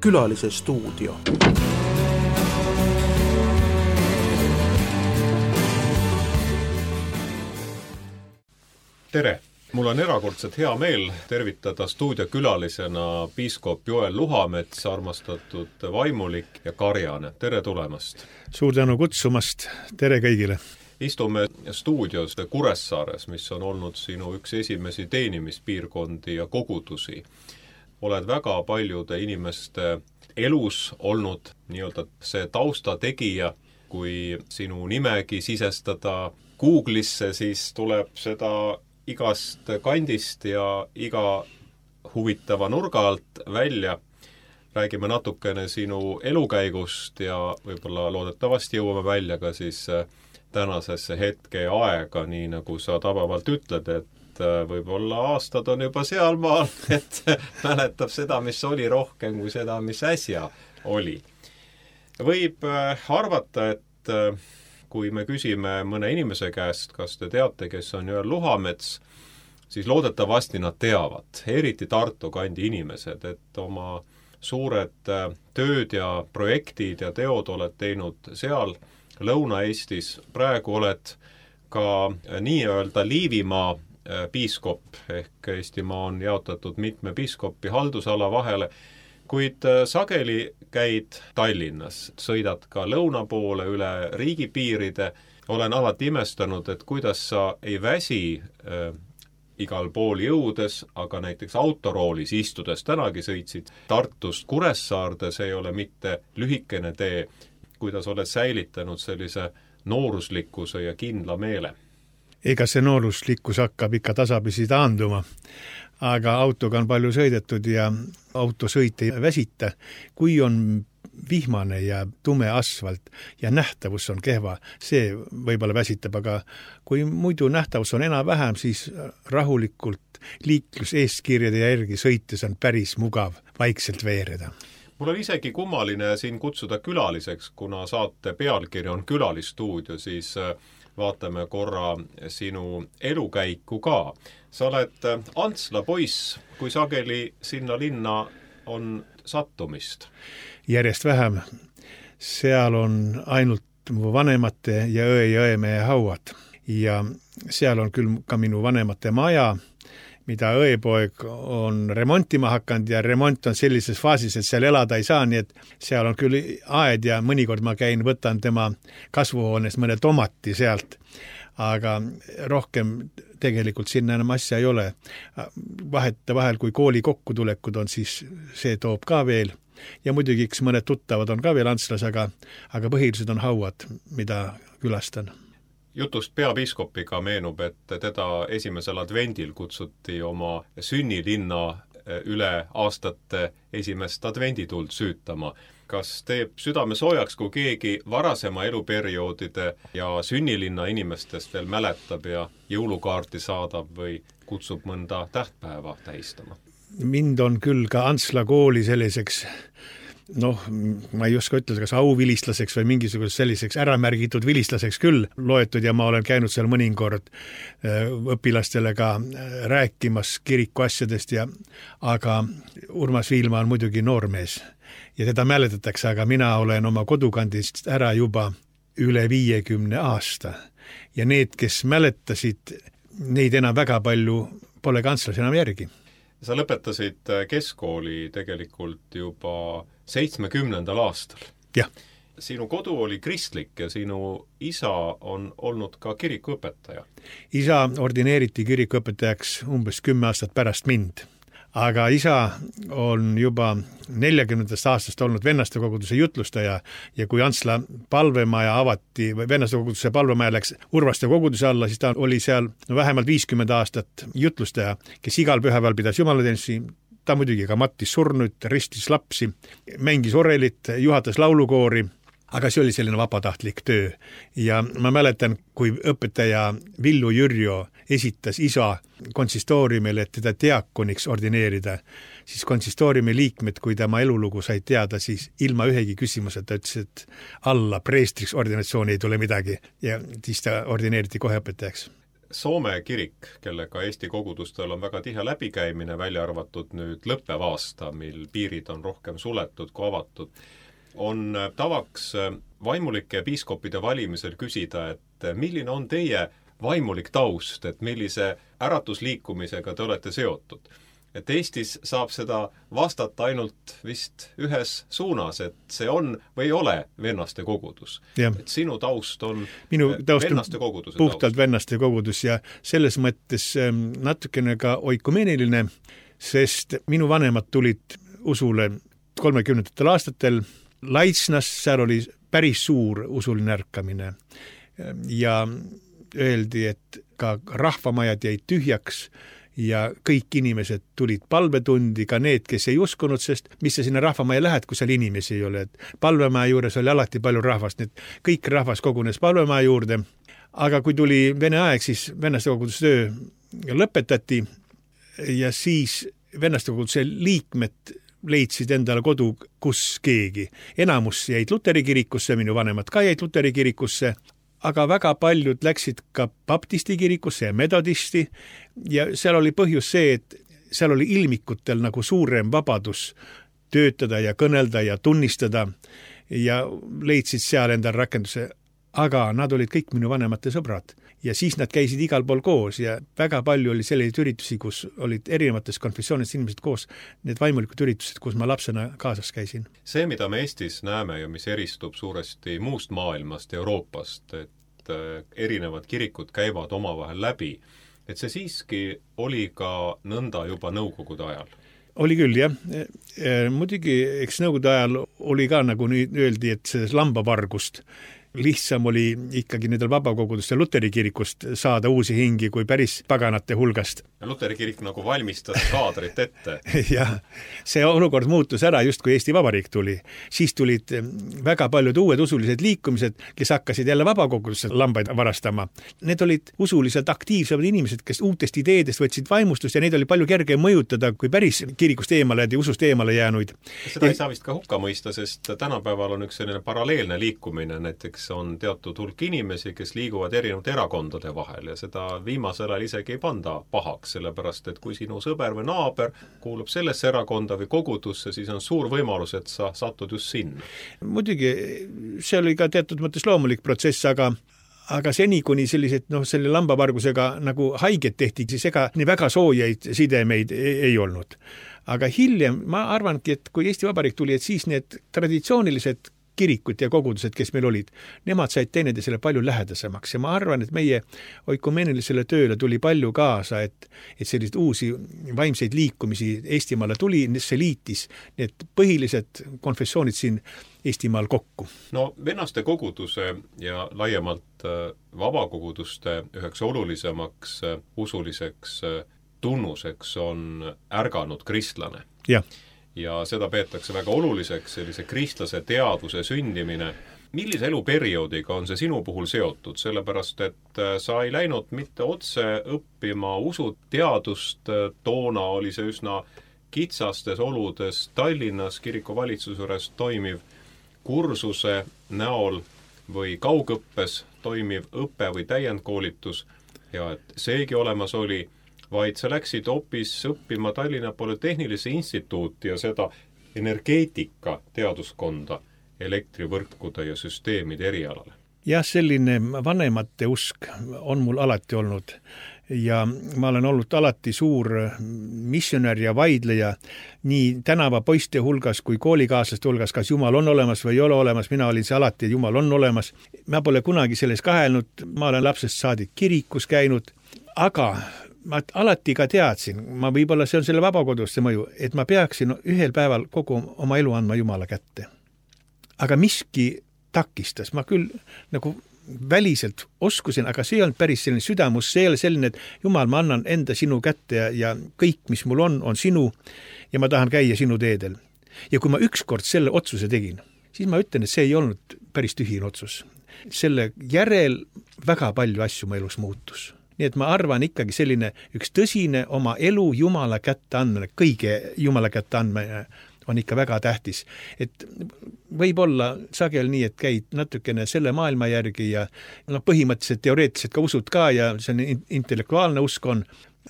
Külalise stuudio. Tere! Mul on erakordselt hea meel tervitada stuudiokülalisena piiskop Joel Luhamets, armastatud vaimulik ja karjane. Tere tulemast! Suur tänu kutsumast! Tere kõigile! Istume stuudios Kuressaares, mis on olnud sinu üks esimesi teenimispiirkondi ja kogudusi. Oled väga paljude inimeste elus olnud nii-öelda see taustategija. Kui sinu nimegi sisestada Google'isse, siis tuleb seda igast kandist ja iga huvitava nurga alt välja. Räägime natukene sinu elukäigust ja võib-olla loodetavasti jõuame välja ka siis tänasesse hetke ja aega, nii nagu sa tabavalt ütled, et võib-olla aastad on juba sealmaal, et mäletab seda, mis oli rohkem kui seda, mis äsja oli. Võib arvata, et kui me küsime mõne inimese käest, kas te teate, kes on Joel Luhamets, siis loodetavasti nad teavad, eriti Tartu kandi inimesed, et oma suured tööd ja projektid ja teod oled teinud seal Lõuna-Eestis. Praegu oled ka nii-öelda Liivimaa piiskop, ehk Eestimaa on jaotatud mitme piiskopi haldusala vahele, kuid sageli käid Tallinnas, sõidad ka lõuna poole üle riigipiiride. Olen alati imestanud, et kuidas sa ei väsi igal pool jõudes, aga näiteks autoroolis istudes tänagi sõitsid Tartust Kuressaarde, see ei ole mitte lühikene tee, kuidas oled säilitanud sellise nooruslikkuse ja kindla meele. Ega see nooruslikkus hakkab ikka tasapisi taanduma. Aga autoga on palju sõidetud ja autosõit ei väsita. Kui on vihmane ja tume asfalt ja nähtavus on kehva, see võib-olla väsitab, aga kui muidu nähtavus on enam-vähem, siis rahulikult liiklus eeskirjade järgi sõites on päris mugav vaikselt veereda. Mul on isegi kummaline siin kutsuda külaliseks, kuna saate pealkiri on Külalistuudio, siis vaatame korra sinu elukäiku ka. Sa oled Antsla poiss, kui sageli sinna linna on sattumist? Järjest vähem. Seal on ainult mu vanemate ja õe ja õemehe hauad. Ja seal on küll ka minu vanemate maja, mida õepoeg on remontima hakanud ja remont on sellises faasis, et seal elada ei saa, nii et seal on küll aed ja mõnikord ma käin, võtan tema kasvuhoonest mõne tomati sealt, aga rohkem tegelikult sinna enam asja ei ole. Vahel, kui kooli kokkutulekud on, siis see toob ka veel ja muidugi üks mõned tuttavad on ka veel Antslas, aga põhilised on hauad, mida külastan. Jutust peapiiskopiga meenub, et teda esimesel advendil kutsuti oma sünnilinna üle aastate esimest advendituld süütama. Kas teeb südame soojaks, kui keegi varasema eluperioodide ja sünnilinna inimestest veel mäletab ja jõulukaarti saadab või kutsub mõnda tähtpäeva tähistama? Mind on küll ka Antsla kooli selliseks, ma ei oska ütelda, kas auvilistlaseks või mingisuguseks selliseks äramärgitud vilistlaseks küll loetud ja ma olen käinud seal mõnikord õpilastele ka rääkimas kiriku asjadest aga Urmas Viilma on muidugi noormees ja teda mäletatakse, aga mina olen oma kodukandist ära juba üle 50 aasta ja need, kes mäletasid, neid enam väga palju pole ka Antslas enam järgi. Sa lõpetasid keskkooli tegelikult juba 70. aastal. Jah. Sinu kodu oli kristlik ja sinu isa on olnud ka kirikuõpetaja. Isa ordineeriti kirikuõpetajaks umbes 10 aastat pärast mind. Aga isa on juba 40. aastast olnud vennaste koguduse jutlustaja ja kui Antsla palvemaja avati, või vennaste koguduse palvemaja läks Urvaste koguduse alla, siis ta oli seal vähemalt 50 aastat jutlustaja, kes igal pühapäeval pidas jumalateenusi. Ta muidugi ka mattis surnud, ristis lapsi, mängis orelit, juhatas laulukoori, aga see oli selline vabatahtlik töö. Ja ma mäletan, kui õpetaja Villu Jürjo esitas isa konsistooriumile, et teda diakoniks ordineerida, siis konsistooriumi liikmed, kui tema elulugu sai teada, siis ilma ühegi küsimuseta ütles, et alla preestriks ordinatsiooni ei tule midagi ja siis ta ordineeriti kohe õpetajaks. Soome kirik, kellega Eesti kogudustel on väga tihe läbikäimine, välja arvatud nüüd lõppev aasta, mil piirid on rohkem suletud kui avatud, on tavaks vaimulike ja piiskopide valimisel küsida, et milline on teie vaimulik taust, et millise äratusliikumisega te olete seotud. Et Eestis saab seda vastata ainult vist ühes suunas, et see on või ei ole vennaste kogudus. Et sinu taust on minu taust vennaste koguduse puhtalt taust. Vennaste kogudus ja selles mõttes natukene ka oikumeeniline, sest minu vanemad tulid usule 30. aastatel Laitsnas, seal oli päris suur usuline ärkamine ja öeldi, et ka rahvamajad jäid tühjaks ja kõik inimesed tulid palvetundi, ka need, kes ei uskunud, sest mis sa sinna rahvamaja lähed, kui seal inimesi ei ole. Et palvemaja juures oli alati palju rahvast, nii et kõik rahvas kogunes palvemaja juurde. Aga kui tuli Vene aeg, siis vennaste koguduse töö lõpetati ja siis vennaste koguduse liikmed leidsid endale kodu, kus keegi. Enamus jäid Luteri kirikusse, minu vanemad ka jäid Luteri kirikusse, aga väga paljud läksid ka baptisti kirikusse ja metodisti ja seal oli põhjus see, et seal oli ilmikutel nagu suurem vabadus töötada ja kõnelda ja tunnistada ja leidsid seal endal rakenduse, aga nad olid kõik minu vanemate sõbrad ja siis nad käisid igal pool koos ja väga palju oli selliseid üritusi, kus olid erinevates konfessioonidest inimesed koos, need vaimulikud üritused, kus ma lapsena kaasas käisin. See, mida me Eestis näeme ja mis eristub suuresti muust maailmast, Euroopast, et erinevad kirikud käivad omavahel läbi, et see siiski oli ka nõnda juba nõukogude ajal. Oli küll, jah. Muidugi, eks nõukogude ajal oli ka, nagu nüüd öeldi, et selles lambavargust lihtsam oli ikkagi nendel vabakogudustel Luteri kirikust saada uusi hingi kui päris paganate hulgast. Ja Luteri kirik nagu valmistas kaadrit ette. Jah, see olukord muutus ära just kui Eesti Vabariik tuli. Siis tulid väga paljud uued usulised liikumised, kes hakkasid jälle vabakogudustel lambaid varastama. Need olid usuliselt aktiivsemad inimesed, kes uutest ideedest võtsid vaimustust ja neid oli palju kergem mõjutada kui päris kirikust eemale ja usust eemale jäänuid. Seda ei saa vist ka hukka mõista, sest tänapäeval on üks selline paralleelne liikumine, näiteks on teatud hulk inimesi, kes liiguvad erinevate erakondade vahel ja seda viimasel ajal isegi ei panda pahaks, sellepärast et kui sinu sõber või naaber kuulub sellesse erakonda või kogudusse, siis on suur võimalus, et sa satud just sinna. Muidugi, see oli ka teatud mõttes loomulik protsess, aga seni, kuni sellised, selle lambavargusega nagu haiget tehti, siis ega nii väga soojaid sidemeid ei olnud. Aga hiljem ma arvangi, et kui Eesti Vabariik tuli, et siis need traditsioonilised kirikud ja kogudused, kes meil olid, nemad said teineteisele palju lähedasemaks ja ma arvan, et meie oikumeenilisele tööle tuli palju kaasa, et sellised uusi vaimseid liikumisi Eestimaale tuli, see liitis need põhilised konfessioonid siin Eestimaal kokku. No vennaste koguduse ja laiemalt vabakoguduste üheks olulisemaks usuliseks tunnuseks on ärganud kristlane. Jah. Ja seda peetakse väga oluliseks, sellise kristlase teadvuse sündimine. Millise eluperioodiga on see sinu puhul seotud? Sellepärast, et sa ei läinud mitte otse õppima usuteadust, toona oli see üsna kitsastes oludes Tallinnas kirikuvalitsuse juures toimiv kursuse näol või kaugõppes toimiv õpe või täiendkoolitus ja et seegi olemas oli, vaid sa läksid hoopis õppima Tallinna Polütehnilise instituuti ja seda energeetika teaduskonda elektrivõrkude ja süsteemide erialale. Jah, selline vanemate usk on mul alati olnud ja ma olen olnud alati suur missionär ja vaidleja nii tänava poiste hulgas kui koolikaaslaste hulgas, kas Jumal on olemas või ei ole olemas, mina olin see alati, et Jumal on olemas. Ma pole kunagi selles kahelnud, ma olen lapsest saadik kirikus käinud, aga ma alati ka teadsin, ma võib-olla see on selle vabakoduste mõju, et ma peaksin ühel päeval kogu oma elu andma Jumala kätte. Aga miski takistas, ma küll nagu väliselt oskusin, aga see ei olnud päris selline südamus, see ei ole selline, et Jumal, ma annan enda sinu kätte ja kõik, mis mul on sinu ja ma tahan käia sinu teedel. Ja kui ma ükskord selle otsuse tegin, siis ma ütlen, et see ei olnud päris tühine otsus. Selle järel väga palju asju mu elus muutus. Nii et ma arvan ikkagi selline üks tõsine oma elu Jumala kätte andmine, kõige Jumala kätte andmine on ikka väga tähtis. Et võib-olla sagel nii, et käid natukene selle maailma järgi ja põhimõtteliselt teoreetiliselt ka usud ka ja see on intellektuaalne usk on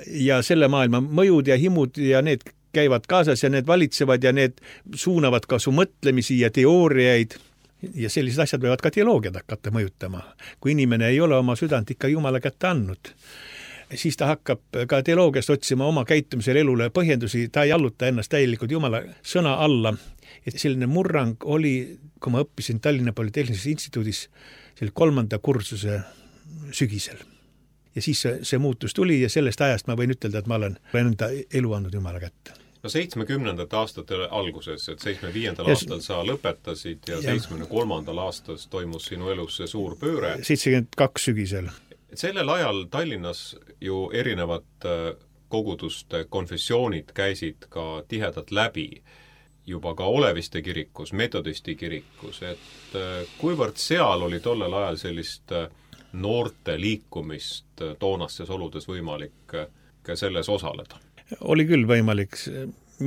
ja selle maailma mõjud ja himud ja need käivad kaasas ja need valitsevad ja need suunavad ka su mõtlemisi ja teooriaid ja sellised asjad võivad ka teoloogiat hakata mõjutama. Kui inimene ei ole oma südant ikka Jumala kätte andnud, siis ta hakkab ka teoloogiast otsima oma käitumisel elule põhjendusi, ta ei alluta ennast täielikult Jumala sõna alla. Et selline murrang oli, kui ma õppisin Tallinna Polütehnilises instituudis selle 3. kursuse sügisel. Ja siis see muutus tuli ja sellest ajast ma võin ütelda, et ma olen enda elu andnud Jumala kätte. No 70. aastate alguses, et 75. aastal sa lõpetasid ja 73. aastas toimus sinu elus see suur pööre. 72 sügisel. Sellel ajal Tallinnas ju erinevad koguduste konfessioonid käisid ka tihedalt läbi, juba ka Oleviste kirikus, metodisti kirikus, et kuivõrd seal oli tollel ajal sellist noorte liikumist toonastes oludes võimalik ka selles osaleda? Oli küll võimalik.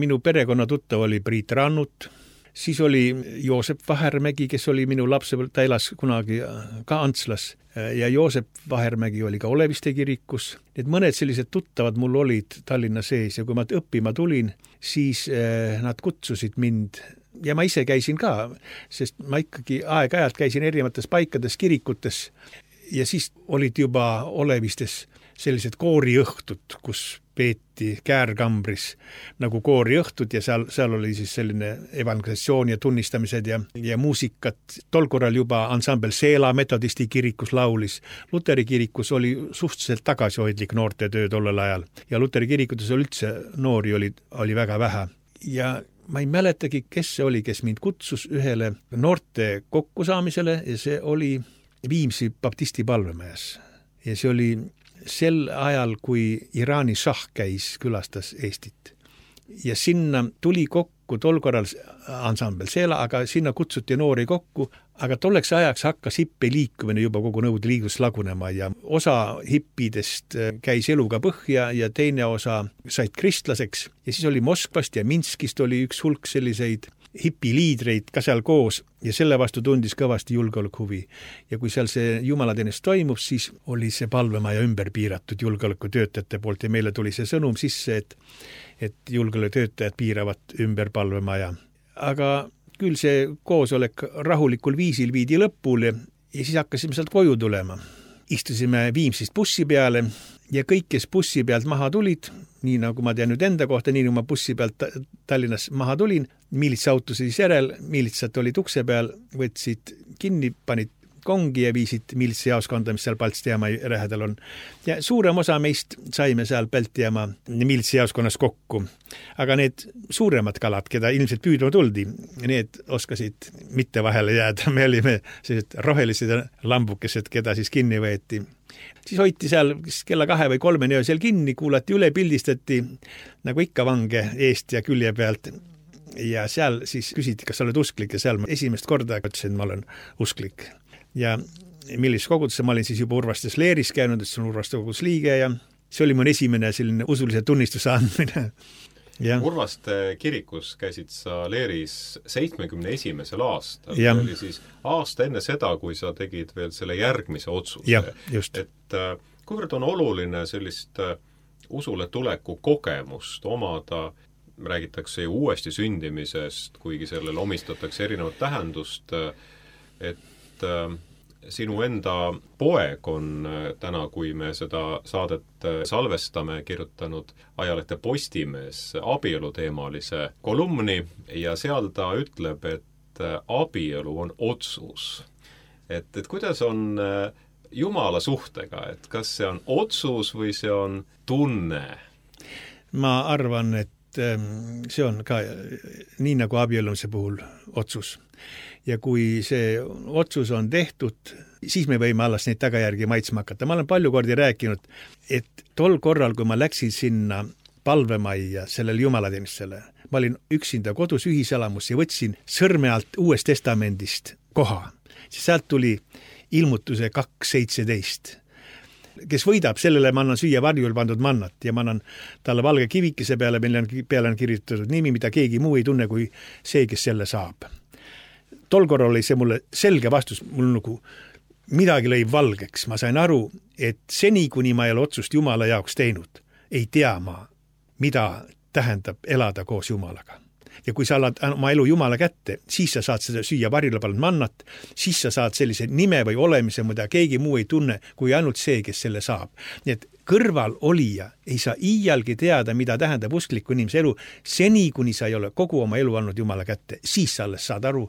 Minu perekonna tuttav oli Priit Rannut, siis oli Joosep Vahermägi, kes oli minu lapsepõlv, ta elas kunagi ka Antslas ja Joosep Vahermägi oli ka Oleviste kirikus. Need mõned sellised tuttavad mul olid Tallinna sees ja kui ma õppima tulin, siis nad kutsusid mind ja ma ise käisin ka, sest ma ikkagi aeg-ajalt käisin erinevates paikades kirikutes ja siis olid juba Olevistes sellised kooriõhtud, kus peeti Käärkambris nagu kooriõhtud ja seal oli siis selline evangelisatsioon ja tunnistamised ja muusikat. Tol korral juba ansambel Seela metodisti kirikus laulis. Luteri kirikus oli suhteliselt tagasihoidlik noorte töö tollel ajal ja Luteri kirikutes üldse noori oli väga vähe. Ja ma ei mäletagi, kes see oli, kes mind kutsus ühele noorte kokkusaamisele ja see oli Viimsi baptisti palvemajas. Ja see oli sel ajal, kui Iraani šah käis, külastas Eestit. Ja sinna tuli kokku tol korral ansambel Seela, aga sinna kutsuti noori kokku, aga tolleks ajaks hakkas hippi liikumine juba kogu Nõukogude Liidus lagunema ja osa hippidest käis eluga põhja ja teine osa said kristlaseks ja siis oli Moskvast ja Minskist oli üks hulk selliseid hipiliidreid ka seal koos ja selle vastu tundis kõvasti julgeolekuhuvi. Ja kui seal see jumalateenistus toimub, siis oli see palvemaja ümber piiratud julgeolekutöötajate poolt ja meile tuli see sõnum sisse, et julgeolekutöötajad piiravad ümber palvemaja. Aga küll see koosolek rahulikul viisil viidi lõpule ja siis hakkasime sealt koju tulema. Istusime Viimsist bussi peale ja kõik, kes bussi pealt maha tulid, nii nagu ma tean nüüd enda kohta, nii nagu ma bussi pealt Tallinnas maha tulin, miilitsauto siis järel, miilitsat olid ukse peal, võtsid kinni, panid kongi ja viisid miilitsajaoskonda, mis seal Paltstiama lähedal on. Ja suurem osa meist saime seal Paltstiama miilitsajaoskonnas kokku. Aga need suuremad kalad, keda ilmselt püüdma tuldi, need oskasid mitte vahele jääda. Me olime sellised rohelised lambukesed, keda siis kinni võeti. Siis hoiti seal kella 2 või 3 öösel kinni, kuulati üle, pildistati nagu ikka vange eest ja külje pealt. Ja seal siis küsiti, kas sa oled usklik ja seal ma esimest korda ütlesin, ma olen usklik. Ja millises kogudusse ma olin siis juba Urvastes Leeris käinud, et see on Urvaste kogudus liige ja see oli mu esimene selline usulise tunnistuse andmine. Ja. Urvaste kirikus käisid sa Leeris 71. aastal. See oli siis aasta enne seda, kui sa tegid veel selle järgmise otsuse. Ja, just. Et kuivõrd on oluline sellist usule tuleku kogemust omada, räägitakse ju uuesti sündimisest, kuigi sellele omistatakse erinevat tähendust, et sinu enda poeg on täna, kui me seda saadet salvestame, kirjutanud ajalehte Postimees abieluteemalise kolumni ja seal ta ütleb, et abielu on otsus. Et kuidas on Jumala suhtega, et kas see on otsus või see on tunne? Ma arvan, et see on ka nii nagu abiellumise puhul otsus. Ja kui see otsus on tehtud, siis me võime alles neid tagajärgi maitsma hakata. Ma olen palju kordi rääkinud, et tol korral, kui ma läksin sinna palvemajja sellele jumalateenistusele, ma olin üksinda kodus ühiselamus ja võtsin sõrme alt Uuest Testamendist koha. Sealt tuli ilmutuse 2.17. kes võidab, sellele ma annan süüa varjul pandud mannat ja ma annan talle valge kivikese peale, mille peale on kirjutatud nimi, mida keegi muu ei tunne kui see, kes selle saab. Tol korral oli see mulle selge vastus, mul nagu midagi lõi valgeks. Ma sain aru, et seni, kuni ma ei ole otsust Jumala jaoks teinud, ei tea ma, mida tähendab elada koos Jumalaga. Ja kui sa annad oma elu Jumala kätte, siis sa saad seda süüa varjule pannud mannat, siis sa saad sellise nime või olemise, mida keegi muu ei tunne, kui ainult see, kes selle saab. Nii et kõrval olija ei saa iialgi teada, mida tähendab uskliku inimese elu, seni, kuni sa ei ole kogu oma elu andnud Jumala kätte, siis sa alles saad aru,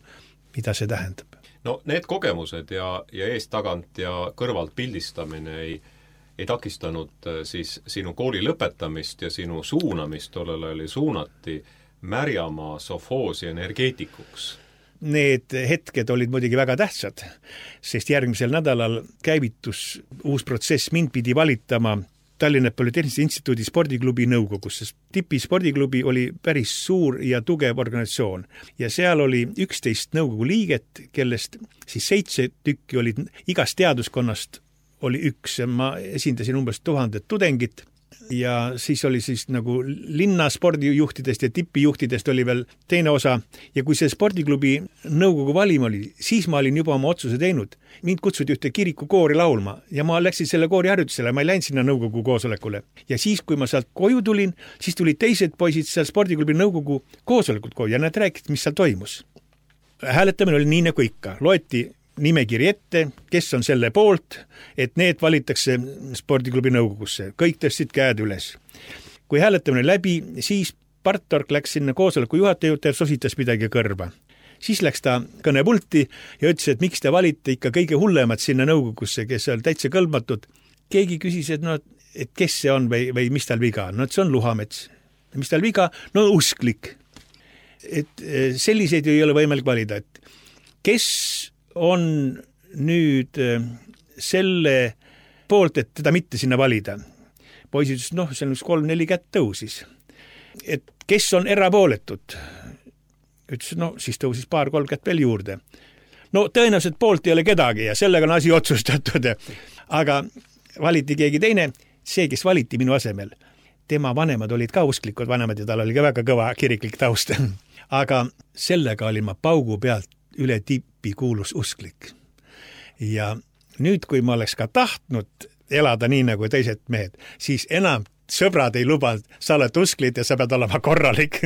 mida see tähendab. No need kogemused ja eest tagant ja kõrvalt pildistamine ei takistanud siis sinu kooli lõpetamist ja sinu suunamist, tollel oli suunati Märjamaa sovhoosi energeetikuks. Need hetked olid muidugi väga tähtsad, sest järgmisel nädalal käivitus uus protsess, mind pidi valitama Tallinna Polütehnilise Instituudi spordiklubi nõukogus, sest Tipi spordiklubi oli päris suur ja tugev organisatsioon ja seal oli 11 nõukogu liiget, kellest siis 7 tükki olid igast teaduskonnast oli üks ja ma esindasin umbes 1000 tudengit ja siis oli siis nagu linna spordijuhtidest ja tipijuhtidest oli veel teine osa ja kui see spordiklubi nõukogu valim oli, siis ma olin juba oma otsuse teinud. Mind kutsuti ühte kirikukoori laulma ja ma läksin selle koori harjutusele, ma ei läinud sinna nõukogu koosolekule. Ja siis, kui ma sealt koju tulin, siis tulid teised poisid seal spordiklubi nõukogu koosolekut koju ja nad rääkisid, mis seal toimus. Hääletamine oli nii nagu ikka, loeti nimekiri ette, kes on selle poolt, et need valitakse spordiklubi nõukogusse. Kõik tõstsid käed üles. Kui hääletamine läbi, siis Partork läks sinna koosoleku juhataja juurde ja sositas midagi kõrva. Siis läks ta kõnepulti ja ütles, et miks te valite ikka kõige hullemad sinna nõukogusse, kes on täitsa kõlbmatud. Keegi küsis, et kes see on või mis tal viga on. No, see on Luhamets. Mis tal viga? No usklik. Et selliseid ei ole võimalik valida. Et kes on nüüd selle poolt, et teda mitte sinna valida. Poisid ütles, see on 3-4 kätt tõusis. Et kes on erapooletud? Ütles, siis tõusis 2-3 kätt veel juurde. Tõenäoliselt poolt ei ole kedagi ja sellega on asi otsustatud. Aga valiti keegi teine, see, kes valiti minu asemel. Tema vanemad olid ka usklikud vanemad ja tal oli ka väga kõva kiriklik taust. Aga sellega olin ma paugu pealt üle Tipi kuulus usklik. Ja nüüd, kui ma oleks ka tahtnud elada nii nagu teised mehed, siis enam sõbrad ei lubanud, sa oled usklid ja sa pead olema korralik.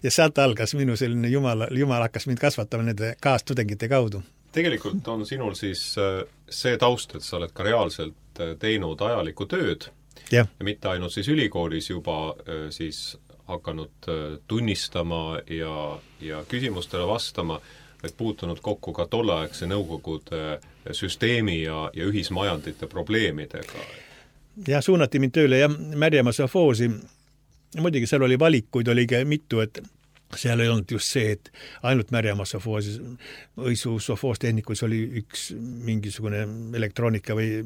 Ja sealt algas minu selline Jumal hakkas mind kasvatama nende kaastudengite kaudu. Tegelikult on sinul siis see taust, et sa oled ka reaalselt teinud ajalikku tööd ja mitte ainult siis ülikoolis juba siis hakanud tunnistama ja küsimustele vastama, et puutunud kokku ka tolleaegse nõukogude süsteemi ja ühismajandite probleemidega. Ja suunati mind tööle ja Märjamaa sovhoosi. Muidugi seal oli valikuid, oli mitu, et seal ei olnud just see, et ainult Märjamaa sovhoosi. Õisu sovhoostehnikus oli üks mingisugune elektroonika või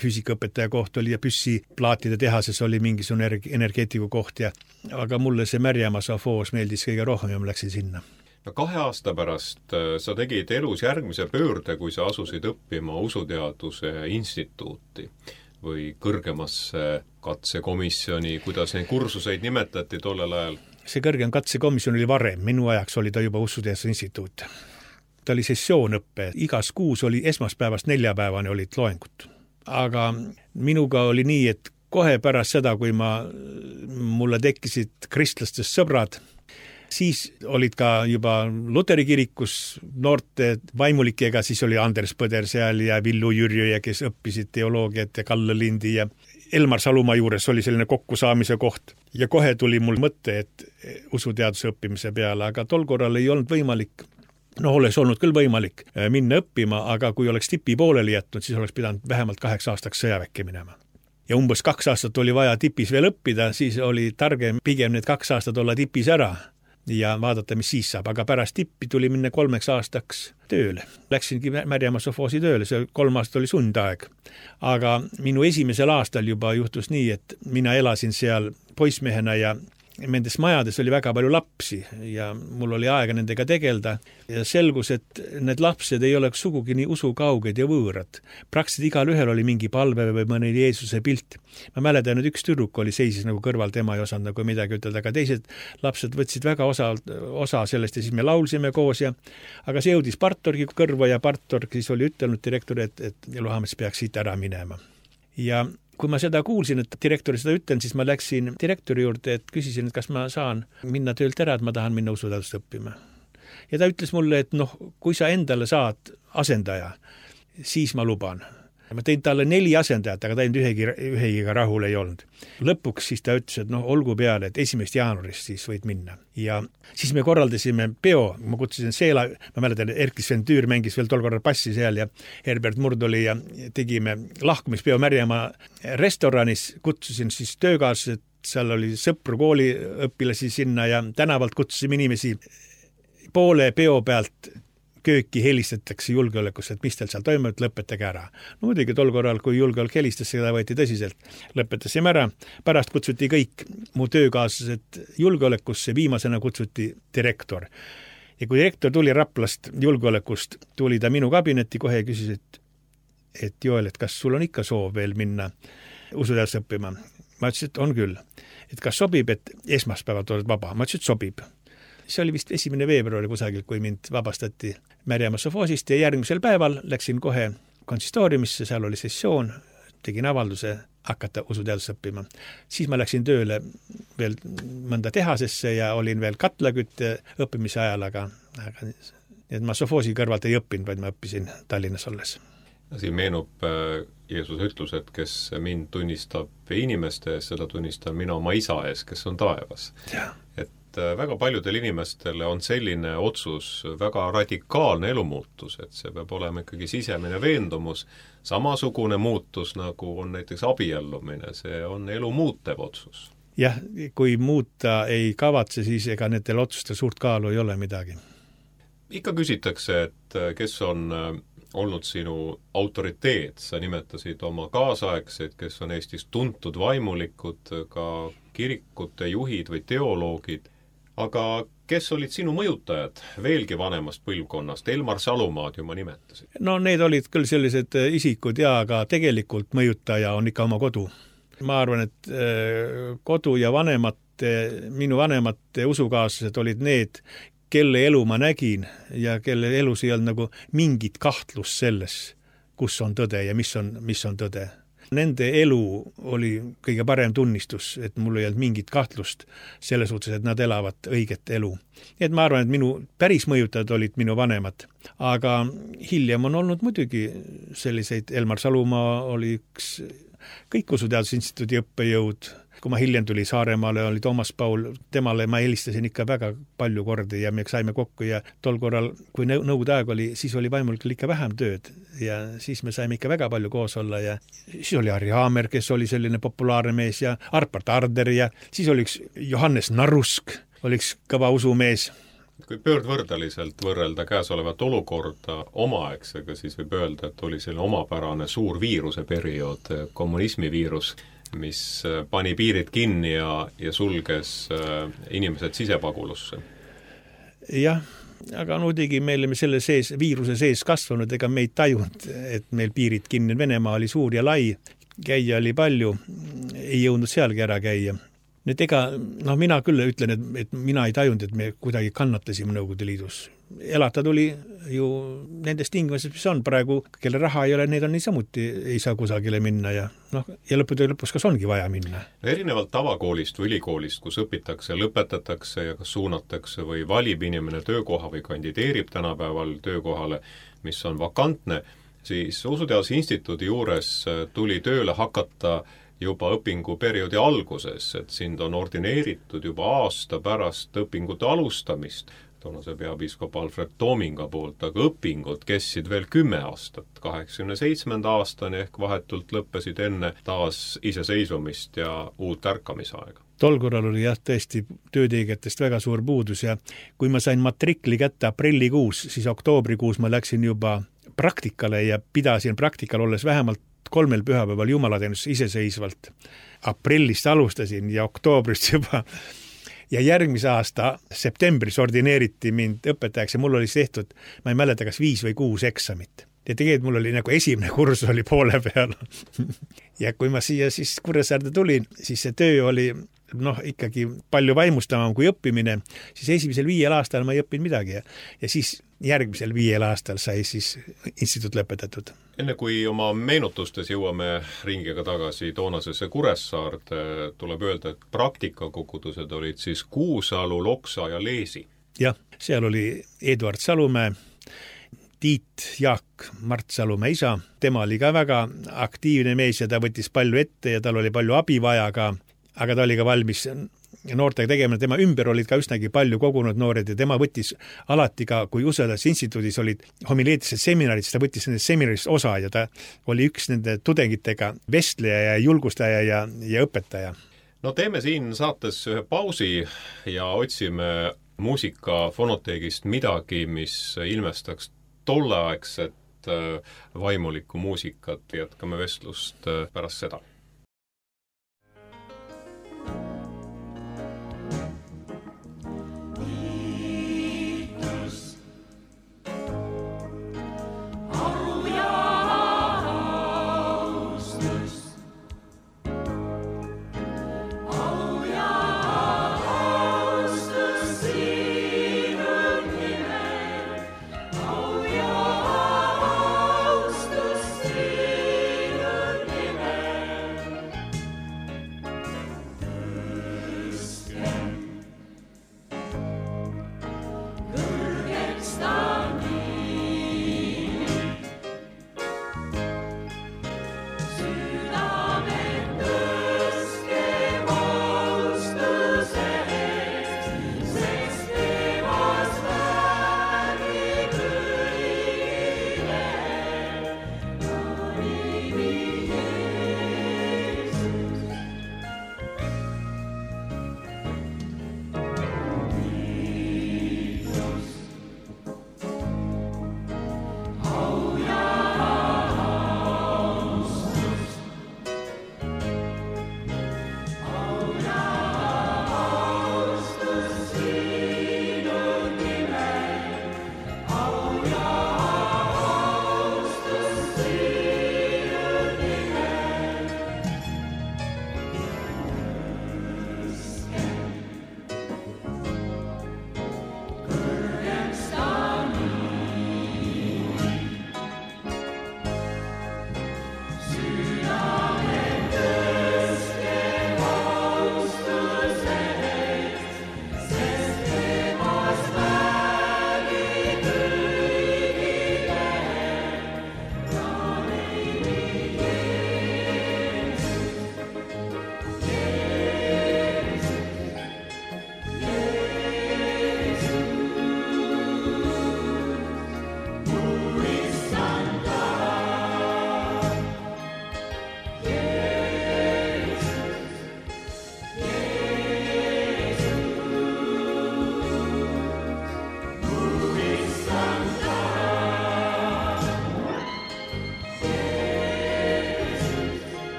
füüsikaõpetaja koht oli ja püssiplaatide tehases oli mingisugune energeetiku koht. Aga mulle see Märjamaa sovhoos meeldis kõige rohkem ja ma läksin sinna. 2 aasta pärast sa tegid elus järgmise pöörde, kui sa asusid õppima usuteaduse instituuti või kõrgemasse katsekomisjoni, kuidas neid kursuseid nimetati tollel ajal? See kõrgem katsekomisjon oli varem, minu ajaks oli ta juba usuteaduse instituut. Ta oli sessioonõppe, igas kuus oli esmaspäevast 4 olid loengud. Aga minuga oli nii, et kohe pärast seda, kui mulle tekkisid kristlastest sõbrad, siis olid ka juba Luteri kirikus noorte vaimulikega, siis oli Anders Põder seal ja Villu Jürjö, kes õppisid teoloogiat ja Kalle Lindi ja Elmar Salumaa juures oli selline kokkusaamise koht. Ja kohe tuli mul mõte, et usuteaduse õppimise peale, aga tol korral ei olnud võimalik, oleks olnud küll võimalik minna õppima, aga kui oleks Tipi pooleli jätnud, siis oleks pidanud vähemalt 8 aastaks sõjaväkke minema. Ja umbes 2 aastat oli vaja Tipis veel õppida, siis oli targem pigem need 2 aastat olla Tipis ära ja vaadata, mis siis saab. Aga pärast Tippi tuli minna 3 aastaks tööle. Läksingi Märjamaa sovhoosi tööle, see 3 aastat oli sundaeg. Aga minu esimesel aastal juba juhtus nii, et mina elasin seal poissmehena ja nendes majades oli väga palju lapsi ja mul oli aega nendega tegelda ja selgus, et need lapsed ei oleks sugugi nii usukauged ja võõrad. Praktiliselt igal ühel oli mingi palve või mõni Jeesuse pilt. Ma mäletan, et üks tüdruk oli seisis nagu kõrval, tema ei osanud nagu midagi ütelda, aga teised lapsed võtsid väga osa sellest ja siis me laulsime koos aga see jõudis partorgi kõrva ja partorg siis oli ütelnud direktor, et Luhamets peaks siit ära minema. Ja kui ma seda kuulsin, et direktori seda ütlen, siis ma läksin direktori juurde, et küsisin, et kas ma saan minna töölt ära, et ma tahan minna usuteadust õppima. Ja ta ütles mulle, et kui sa endale saad asendaja, siis ma luban. Ma tein talle 4 asendajat, aga ta ühegiga rahul ei olnud. Lõpuks siis ta ütles, et olgu peale, et 1. jaanuarist siis võid minna. Ja siis me korraldasime peo, ma kutsusin Seela, ma mäletan, Erkki Sven Tüür mängis veel tol korral passi seal ja Herbert Murd oli ja tegime lahkumispeo Märjamaa restoranis, kutsusin siis töökaaslased, seal oli sõpru kooliõpilasi sinna ja tänavalt kutsusime inimesi poole peo pealt kööki helistatakse julgeolekusse, et mis teil seal toimub, lõpetage ära. No muidugi tol korral, kui julgeolek helistas, seda võeti tõsiselt. Lõpetasime ära, pärast kutsuti kõik mu töökaaslased julgeolekusse, viimasena kutsuti direktor. Ja kui direktor tuli Raplast julgeolekust, tuli ta minu kabinetti kohe ja küsis, et Joel, et kas sul on ikka soov veel minna usuteadust õppima? Ma ütlesin, et on küll. Et kas sobib, et esmaspäevad oled vaba? Ma ütlesin, et sobib. See oli vist 1. veebruari kusagil, kui mind vabastati Märjamaa sofoosist ja järgmisel päeval läksin kohe konsistooriumisse, seal oli sessioon, tegin avalduse hakata usuteadust õppima. Siis ma läksin tööle veel mõnda tehasesse ja olin veel katlakütte õppimise ajal, aga ma sofoosi kõrvalt ei õppinud, vaid ma õppisin Tallinnas olles. Siin meenub Jeesuse ütlus, et kes mind tunnistab inimeste ees, seda tunnistan mina oma isa ees, kes on taevas. Et väga paljudel inimestel on selline otsus, väga radikaalne elumuutus, et see peab olema ikkagi sisemine veendumus, samasugune muutus, nagu on näiteks abiellumine, see on elu muutev otsus. Jah, kui muuta ei kavatse, siis ega nendel otsustel suurt kaalu ei ole midagi. Ikka küsitakse, et kes on olnud sinu autoriteet, sa nimetasid oma kaasaegseid, kes on Eestis tuntud vaimulikud, ka kirikute juhid või teoloogid, aga kes olid sinu mõjutajad veelgi vanemast põlvkonnast? Elmar Salumaad ju ma nimetasin. No need olid küll sellised isikud aga tegelikult mõjutaja on ikka oma kodu. Ma arvan, et kodu ja minu vanemate usukaaslased olid need, kelle elu ma nägin ja kelle elus ei olnud nagu mingit kahtlust selles, kus on tõde ja mis on tõde. Nende elu oli kõige parem tunnistus, et mul ei olnud mingit kahtlust selles suhtes, et nad elavad õiget elu. Nii et ma arvan, et minu päris mõjutajad olid minu vanemad. Aga hiljem on olnud muidugi selliseid, Elmar Salumaa oli üks kõik usuteadusinstituudi õppejõud. Kui ma hiljem tuli Saaremaale, oli Toomas Paul, temale ma helistasin ikka väga palju kordi ja me saime kokku ja tol korral, kui nõukogude aeg oli, siis oli vaimulikul ikka vähem tööd ja siis me saime ikka väga palju koos olla ja siis oli Harri Haamer, kes oli selline populaarne mees ja Arpart Arder ja siis oli üks Johannes Narusk, oli üks kõva usumees. Kui pöördvõrdeliselt võrrelda käesolevat olukorda omaaegsega, siis võib öelda, et oli selline omapärane suur viiruse periood, kommunismi viirus, mis pani piirid kinni ja sulges inimesed sisepagulusse. Jah, aga muidugi me olime selle viiruse sees kasvanud, ega me ei tajunud, et meil piirid kinni. Venemaa oli suur ja lai, käia oli palju, ei jõudnud sealgi ära käia. Nüüd mina küll ütlen, et mina ei tajunud, et me kuidagi kannatasime Nõukogude Liidus. Elata tuli ju nendes tingimustes, mis on praegu, kelle raha ei ole, need on niisamuti, ei saa kusagile minna ja lõpus kas ongi vaja minna. Erinevalt tavakoolist või ülikoolist, kus õpitakse, lõpetatakse ja kas suunatakse või valib inimene töökoha või kandideerib tänapäeval töökohale, mis on vakantne, siis Usuteaduse Instituudi juures tuli tööle hakata juba õpinguperioodi alguses, et sind on ordineeritud juba aasta pärast õpingute alustamist, toonase peapiiskop Alfred Toominga poolt, aga õpingud kestsid veel 10 aastat, 87. aastani ehk vahetult lõppesid enne taas iseseisvumist ja uut ärkamisaega. Tol korral oli tõesti töötegijatest väga suur puudus ja kui ma sain matrikli kätte aprillikuus, siis oktoobrikuus ma läksin juba praktikale ja pidasin praktikal olles vähemalt 3 pühapäeval jumalateenus iseseisvalt. Aprillist alustasin ja oktoobrist juba ja järgmise aasta septembris ordineeriti mind õpetajaks ja mul oli tehtud, ma ei mäleta, kas 5 või 6 eksamit. Ja tegelikult mul oli nagu esimene kursus oli poole peal. Ja kui ma siia siis Kuressaarde tulin, siis see töö oli ikkagi palju vaimustavam kui õppimine, siis esimesel 5 aastal ma ei õppinud midagi ja siis järgmisel 5 aastal sai siis instituut lõpetatud. Enne kui oma meenutustes jõuame ringiga tagasi toonasesse Kuressaarde, tuleb öelda, et praktikakogudused olid siis Kuusalu, Loksa ja Leesi. Jah, seal oli Eduard Salumäe, Tiit Jaak, Mart Salumäe isa. Tema oli ka väga aktiivne mees ja ta võttis palju ette ja tal oli palju abi vaja ka, aga ta oli ka valmis noortega tegema. Tema ümber olid ka üsnagi palju kogunud noored ja tema võttis alati ka, kui Usedas instituudis olid homileetised seminarid, siis ta võttis nendest seminarist osa ja ta oli üks nende tudengitega vestleja ja julgustaja ja õpetaja. No teeme siin saates ühe pausi ja otsime muusika fonoteegist midagi, mis ilmestaks tolleaegset vaimulikku muusikat. Jätkame vestlust pärast seda.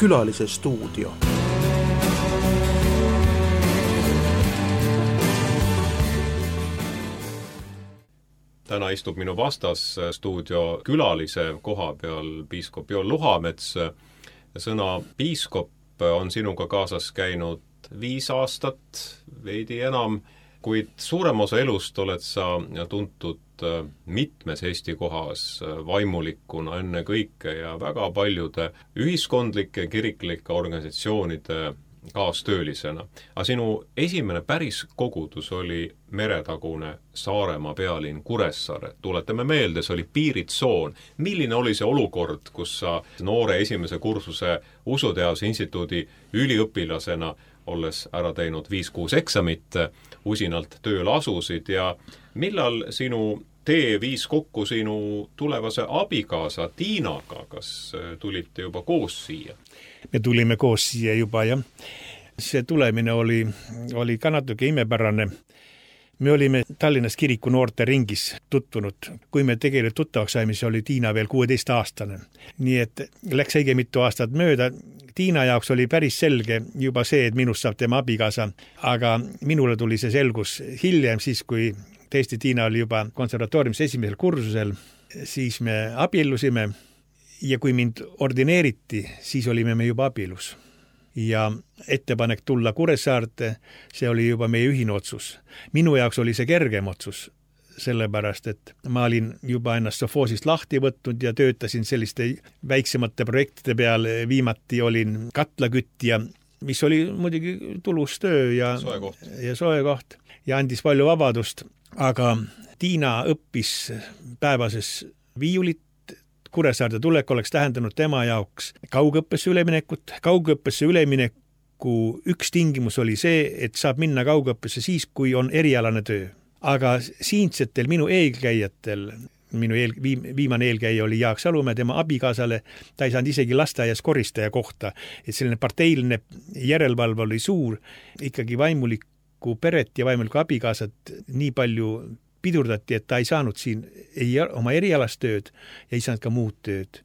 Külalise stuudio. Täna istub minu vastas stuudio külalise koha peal piiskop Joel Luhamets. Sõna piiskop on sinuga kaasas käinud 5 aastat, veidi enam, kuid suurem osa elust oled sa tuntud mitmes Eesti kohas vaimulikuna enne kõike ja väga paljude ühiskondlike kiriklike organisatsioonide kaastöölisena. Aga sinu esimene päris kogudus oli meretagune Saaremaa pealinn Kuressaare. Tuletame meelde, see oli piiritsoon. Milline oli see olukord, kus sa noore esimese kursuse Usuteaduse instituudi üliõpilasena olles ära teinud 5-6 eksamit, usinalt tööl asusid ja millal sinu tee viis kokku sinu tulevase abikaasa Tiinaga, kas tulite juba koos siia? Me tulime koos siia juba, jah. See tulemine oli ka natuke imepärane. Me olime Tallinnas kiriku noorte ringis tutvunud. Kui me tegelikult tuttavaks saime, siis oli Tiina veel 16-aastane. Nii et läks õige mitu aastat mööda. Tiina jaoks oli päris selge juba see, et minust saab tema abikaasa, aga minule tuli see selgus hiljem, siis kui tõesti Tiina oli juba konservatooriumis esimesel kursusel, siis me abiellusime ja kui mind ordineeriti, siis olime me juba abielus. Ja ettepanek tulla Kuressaarte, see oli juba meie ühine otsus. Minu jaoks oli see kergem otsus, sellepärast, et ma olin juba ennast Sofoosist lahti võtnud ja töötasin selliste väiksemate projektide peal. Viimati olin katlaküttija, mis oli muidugi tulus töö ja soe koht ja andis palju vabadust, aga Tiina õppis päevases viiulit. Kuressaarde tulek oleks tähendanud tema jaoks kaugõppesse üleminekut. Kaugõppesse ülemineku üks tingimus oli see, et saab minna kaugõppesse siis, kui on erialane töö. Aga siinsetel minu eelkäijatel, viimane eelkäija oli Jaak Salumäe, tema abikaasale, ta ei saanud isegi lasteaias koristaja kohta, et selline parteiline järelevalve oli suur, ikkagi vaimulikku peret ja vaimulikku abikaasat nii palju pidurdati, et ta ei saanud siin oma erialast tööd ja ei saanud ka muud tööd.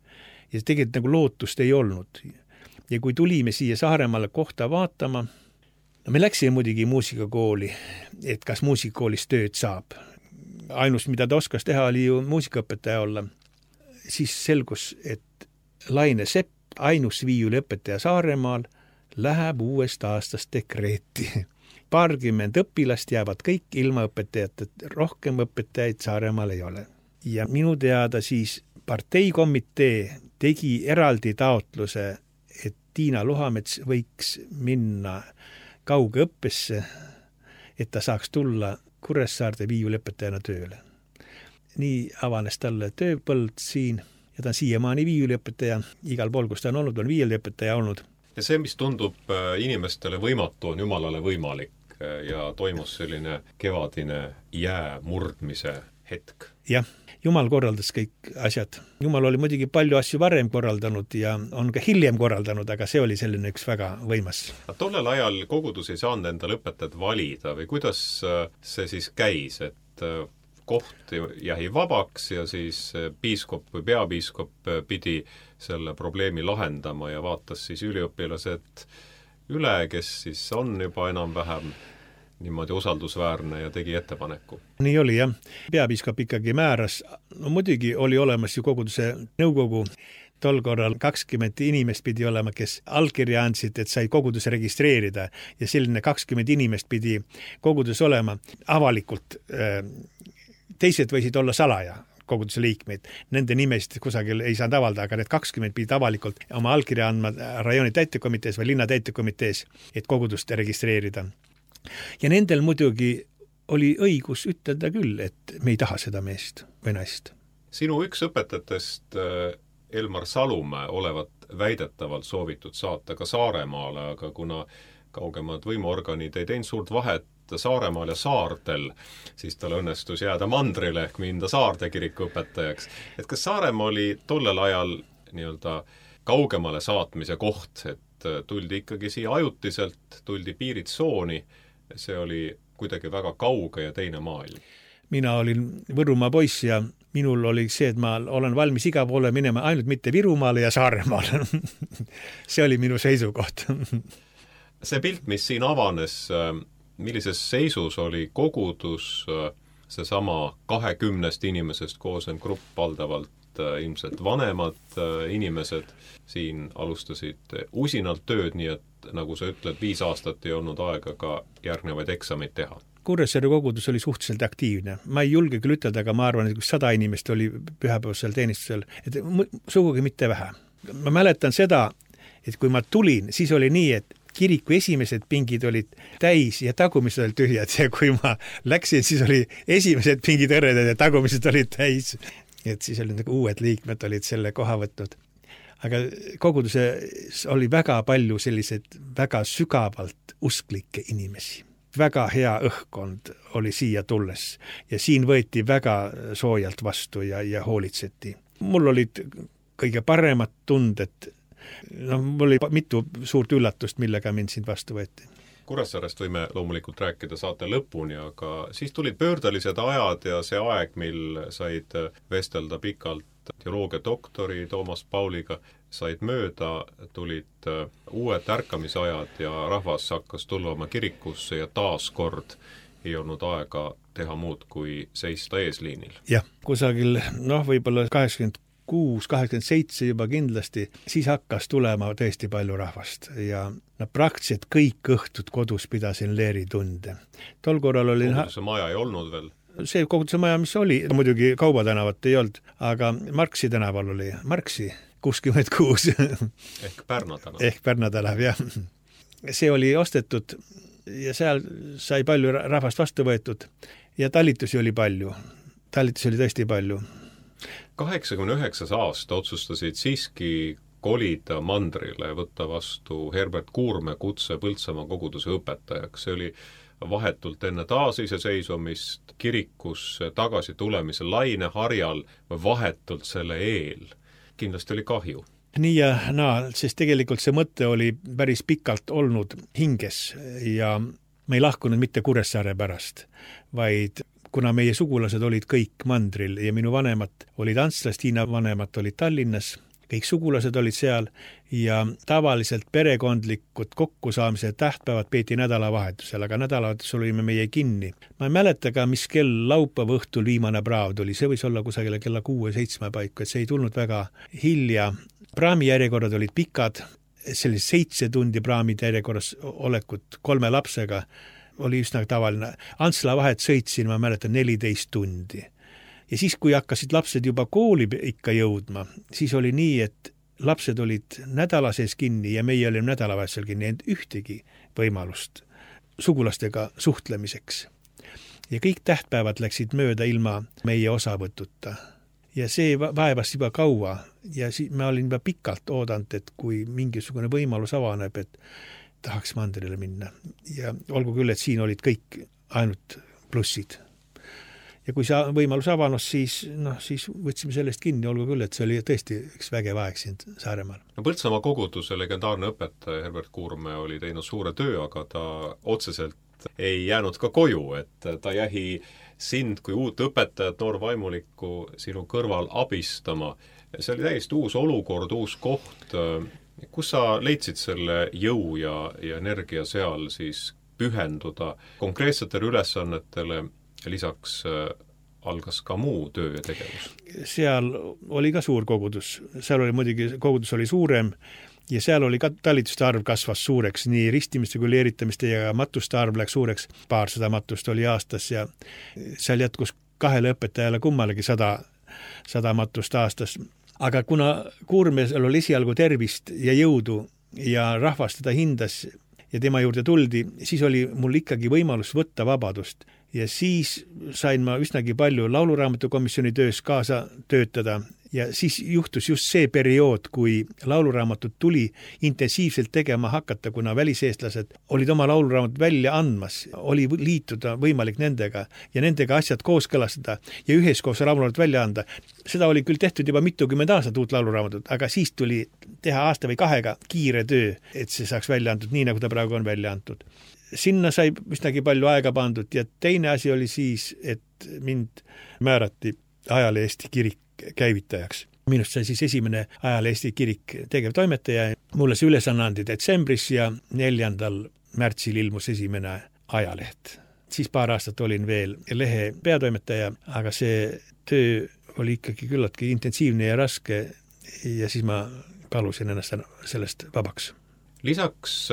Ja tegelikult nagu lootust ei olnud. Ja kui tulime siia Saaremaale kohta vaatama, me läksime muidugi muusikakooli, et kas muusikakoolis tööd saab. Ainus, mida ta oskas teha, oli ju muusikaõpetaja olla. Siis selgus, et Laine Sepp, ainus viiuliõpetaja Saaremaal, läheb uuest aastast dekreeti. Paarkümmend õpilast jäävad kõik ilma õpetajat, et rohkem õpetajaid Saaremaal ei ole. Ja minu teada siis parteikomitee tegi eraldi taotluse, et Tiina Luhamets võiks minna kaugõppesse, et ta saaks tulla Kuressaarde viiuliõpetajana tööle. Nii avanes talle tööpõld siin ja ta on siiamaani viiuliõpetaja, igal pool, kus ta on olnud, on viiuliõpetaja olnud. Ja see, mis tundub inimestele võimatu, on Jumalale võimalik ja toimus selline kevadine jää murdmise hetk. Jah, Jumal korraldas kõik asjad. Jumal oli muidugi palju asju varem korraldanud ja on ka hiljem korraldanud, aga see oli selline üks väga võimas. Tollel ajal kogudus ei saanud endale õpetajat valida või kuidas see siis käis, et koht jäi vabaks ja siis piiskop või peapiiskop pidi selle probleemi lahendama ja vaatas siis üliõpilased üle, kes siis on juba enam-vähem niimoodi usaldusväärne ja tegi ettepaneku. Nii oli, jah. Peapiiskop ikkagi määras. No muidugi oli olemas ju koguduse nõukogu. Tol korral 20 inimest pidi olema, kes allkirja andsid, et sai kogudus registreerida ja selline 20 inimest pidi kogudus olema avalikult. Teised võisid olla salaja koguduse liikmeid. Nende nimesid kusagil ei saanud avalda, aga need 20 pidid avalikult oma allkirja andma rajooni täitekomitees või linna täitekomitees, et kogudust registreerida. Ja nendel muidugi oli õigus ütelda küll, et me ei taha seda meest või naist. Sinu üks õpetajatest Elmar Salumäe olevat väidetavalt soovitud saata ka Saaremaale, aga kuna kaugemad võimuorganid ei teinud suurt vahet Saaremaal ja saartel, siis tal õnnestus jääda mandrile ehk minda Saarde kiriku õpetajaks. Et kas Saaremaa oli tollel ajal nii-öelda kaugemale saatmise koht, et tuldi ikkagi siia ajutiselt, tuldi piiritsooni, see oli kuidagi väga kauge ja teine maailm. Mina olin Võrumaa poiss ja minul oli see, et ma olen valmis iga poole minema, ainult mitte Virumaale ja Saaremaale. See oli minu seisukoht. See pilt, mis siin avanes, millises seisus oli kogudus, seesama 20 inimesest koosen grupp, valdavalt ilmselt vanemad inimesed, siin alustasid usinalt tööd, nii et nagu sa ütled, 5 aastat ei olnud aega ka järgnevaid eksameid teha. Kuressaare kogudus oli suhteliselt aktiivne. Ma ei julge küll ütelda, aga ma arvan, et 100 inimest oli pühapäevasel teenistusel, et sugugi mitte vähe. Ma mäletan seda, et kui ma tulin, siis oli nii, et kiriku esimesed pingid olid täis ja tagumised olid tühjad ja kui ma läksin, siis oli esimesed pingid õredad ja tagumised olid täis. Et siis oli uued liikmed olid selle koha võtnud. Aga koguduses oli väga palju selliseid väga sügavalt usklikke inimesi. väga hea õhkkond oli siia tulles ja siin võeti väga soojalt vastu ja hoolitseti. Mul olid kõige paremad tunded, mul oli mitu suurt üllatust, millega mind siin vastu võeti. Kuressaarest võime loomulikult rääkida saate lõpuni, aga siis tulid pöördelised ajad ja see aeg, mil said vestelda pikalt teoloogiadoktori Toomas Pauliga, said mööda, tulid uued ärkamisajad ja rahvas hakkas tulvama kirikusse ja taas kord ei olnud aega teha muud kui seista eesliinil. Jah, kusagil, võib-olla 86-87 juba kindlasti, siis hakkas tulema tõesti palju rahvast ja praktiliselt kõik õhtud kodus pidasin leeritunde. Tol korral oli... Koguduse maja ei olnud veel? See koguduse maja, mis oli, muidugi Kaubatanevat ei olnud, aga Marksi tänaval oli Marksi 66. Ehk Pärna tänav. Ehk Pärna tänav, jah. See oli ostetud ja seal sai palju rahvast vastu võetud ja talitusi oli palju. Talitusi oli tõesti palju. 89. aasta otsustasid siiski kolida mandrile, võtta vastu Herbert Kuurme kutse Põltsamaa koguduse õpetajaks. See oli vahetult enne taasiseseisvumist kirikusse tagasi tulemise laineharjal või vahetult selle eel. Kindlasti oli kahju. Nii ja naa, sest tegelikult see mõte oli päris pikalt olnud hinges ja me ei lahkunud mitte Kuressaare pärast, vaid kuna meie sugulased olid kõik mandril ja minu vanemad olid Antslas, Tiina vanemad olid Tallinnas, kõik sugulased olid seal ja tavaliselt perekondlikud kokkusaamise tähtpäevad peeti nädalavahetusel, aga nädalavahetusel olime meie kinni. Ma ei mäleta ka, mis kell laupäeva õhtul viimane praav tuli, see võis olla kusagile kella 6-7 paiku, et see ei tulnud väga hilja. Praami järjekorrad olid pikad, sellise 7 tundi praamide järjekorras olekut 3 lapsega oli üsna tavaline. Antsla vahet sõitsin, ma mäletan, 14 tundi. Ja siis, kui hakkasid lapsed juba kooli ikka jõudma, siis oli nii, et lapsed olid nädala sees kinni ja meie olime nädalavahetusel kinni, ent ühtegi võimalust sugulastega suhtlemiseks. Ja kõik tähtpäevad läksid mööda ilma meie osavõtuta. Ja see vaevas juba kaua ja ma olin juba pikalt oodanud, et kui mingisugune võimalus avaneb, et tahaks mandrile minna. Ja olgu küll, et siin olid kõik ainult plussid. Ja kui see võimalus avanos, siis võtsime sellest kinni, olgu küll, et see oli tõesti üks vägev aeg siin Saaremaal. Põltsamaa koguduse legendaarne õpetaja Herbert Kuurme oli teinud suure töö, aga ta otseselt ei jäänud ka koju, et ta jäi sind kui uut õpetajat, noorvaimulikku sinu kõrval abistama. See oli täiesti uus olukord, uus koht. Kus sa leidsid selle jõu ja energia seal siis pühenduda konkreetsetele ülesannetele, lisaks algas ka muu töö ja tegevus? Seal oli ka suur kogudus. Seal oli muidugi, kogudus oli suurem ja seal oli ka talituste arv kasvas suureks, nii ristimiste kui leeritamiste ja matuste arv läks suureks. 200 matust oli aastas ja seal jätkus 2 õpetajale kummalegi 100 matust aastas. Aga kuna Kuurmesel oli esialgu tervist ja jõudu ja rahvas teda hindas ja tema juurde tuldi, siis oli mul ikkagi võimalus võtta vabadust. Ja siis sain ma üsnagi palju lauluraamatukomisjoni töös kaasa töötada ja siis juhtus just see periood, kui lauluraamatut tuli intensiivselt tegema hakata, kuna väliseestlased olid oma lauluraamatut välja andmas, oli liituda võimalik nendega ja nendega asjad kooskõlastada ja üheskoos lauluraamatut välja anda. Seda oli küll tehtud juba mitukümmend aastat uut lauluraamatut, aga siis tuli teha aasta või 2 kiire töö, et see saaks välja antud nii, nagu ta praegu on välja antud. Sinna sai üsnagi palju aega pandud ja teine asi oli siis, et mind määrati Ajale Eesti kirik käivitajaks. Minust sai siis esimene Ajale Eesti kirik tegevtoimetaja. Mulle see ülesanne andi detsembris ja 4. märtsil ilmus esimene ajaleht. Siis paar aastat olin veel lehe peatoimetaja, aga see töö oli ikkagi küllaltki intensiivne ja raske ja siis ma palusin ennast sellest vabaks. Lisaks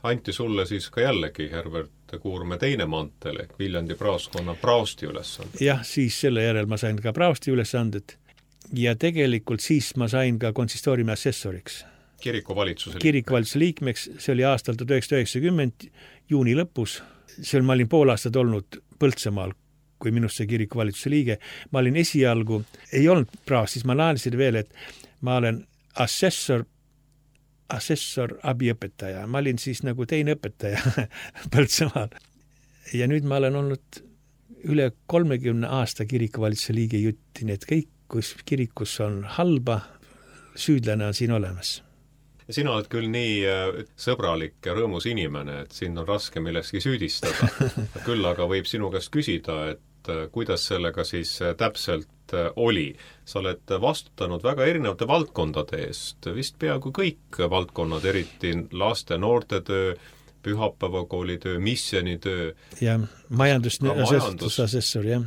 anti sulle siis ka jällegi Herbert Kuurme teine mantel ehk Viljandi praoskonna praosti ülesanded. Jah, siis selle järel ma sain ka praosti ülesanded ja tegelikult siis ma sain ka konsistooriumi assessoriks. Kirikuvalitsuse liikmeks, see oli aastal 1990 juuni lõpus. Seal ma olin pool aastat olnud Põltsamaal, kui minust see kirikuvalitsuse liige. Ma olin esialgu, ei olnud praost, siis ma laenisin veel, et ma olen assessor abiõpetaja. Ma olin siis nagu teine õpetaja Põltsamaal. ja nüüd ma olen olnud üle 30 aasta kirikuvalitsuse liige jutti, nii et kõik, kus kirikus on halba, süüdlane on siin olemas. Sina oled küll nii sõbralik ja rõõmus inimene, et sind on raske millekski süüdistada. Küll aga võib sinu käest küsida, et kuidas sellega siis täpselt oli. Sa oled vastutanud väga erinevate valdkondade eest, vist peaaegu kõik valdkonnad, eriti laste, noortetöö, pühapäevakoolitöö, missionitöö. Ja majandusasessor, jah.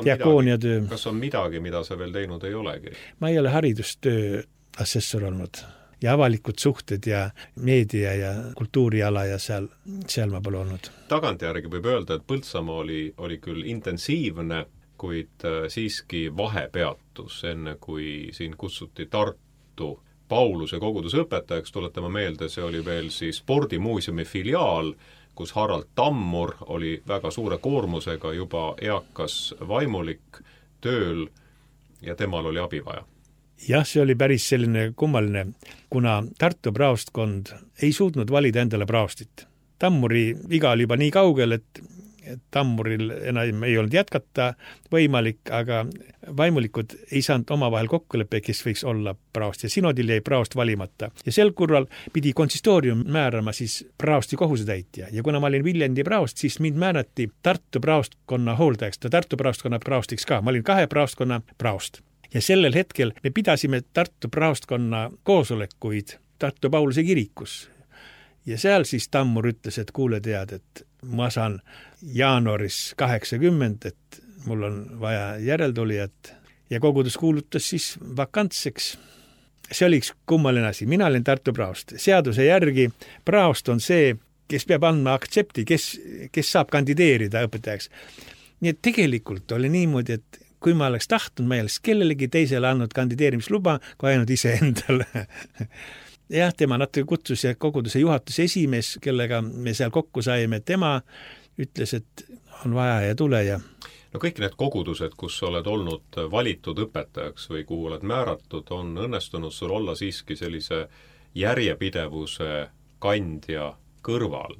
Diakooniatöö. Kas on midagi, mida sa veel teinud ei olegi? Ma ei ole haridustöö assessor olnud ja avalikud suhted ja meedia ja kultuuriala ja seal ma pole olnud. Tagantjärgi võib öelda, et Põltsamaa oli küll intensiivne, kuid siiski vahepeatus, enne kui siin kutsuti Tartu Pauluse koguduse õpetajaks, tuletame meelde, see oli veel siis spordimuuseumi filiaal, kus Harald Tammur oli väga suure koormusega juba eakas vaimulik tööl ja temal oli abi vaja. Jah, see oli päris selline kummaline, kuna Tartu praostkond ei suutnud valida endale praostit. Tammuri viga oli juba nii kaugel, et Tammuril enam ei olnud jätkata võimalik, aga vaimulikud ei saanud omavahel kokkuleppe, kes võiks olla praost ja sinodil jäi praost valimata. Ja sel korral pidi konsistoorium määrama siis praosti kohusetäitja ja kuna ma olin Viljandi praost, siis mind määrati Tartu praostkonna hooldajaks, Tartu praostkonna praostiks ka. Ma olin 2 praostkonna praost. Ja sellel hetkel me pidasime Tartu praostkonna koosolekuid Tartu Pauluse kirikus. Ja seal siis Tammur ütles, et kuule tead, et ma saan jaanuaris 80, et mul on vaja järeltulijat ja kogudus kuulutas siis vakantseks. See oli üks kummaline asi. Mina olin Tartu praost. Seaduse järgi praost on see, kes peab andma aktsepti, kes saab kandideerida õpetajaks. Nii et tegelikult oli niimoodi, et kui ma oleks tahtnud, ma ei oleks kellelegi teisele andnud kandideerimisluba, kui ainult ise endale. Jah, tema natuke kutsus ja koguduse juhatuse esimees, kellega me seal kokku saime, tema ütles, et on vaja ja tule ja... No kõik need kogudused, kus oled olnud valitud õpetajaks või kuhu oled määratud, on õnnestunud sul olla siiski sellise järjepidevuse kandja kõrval,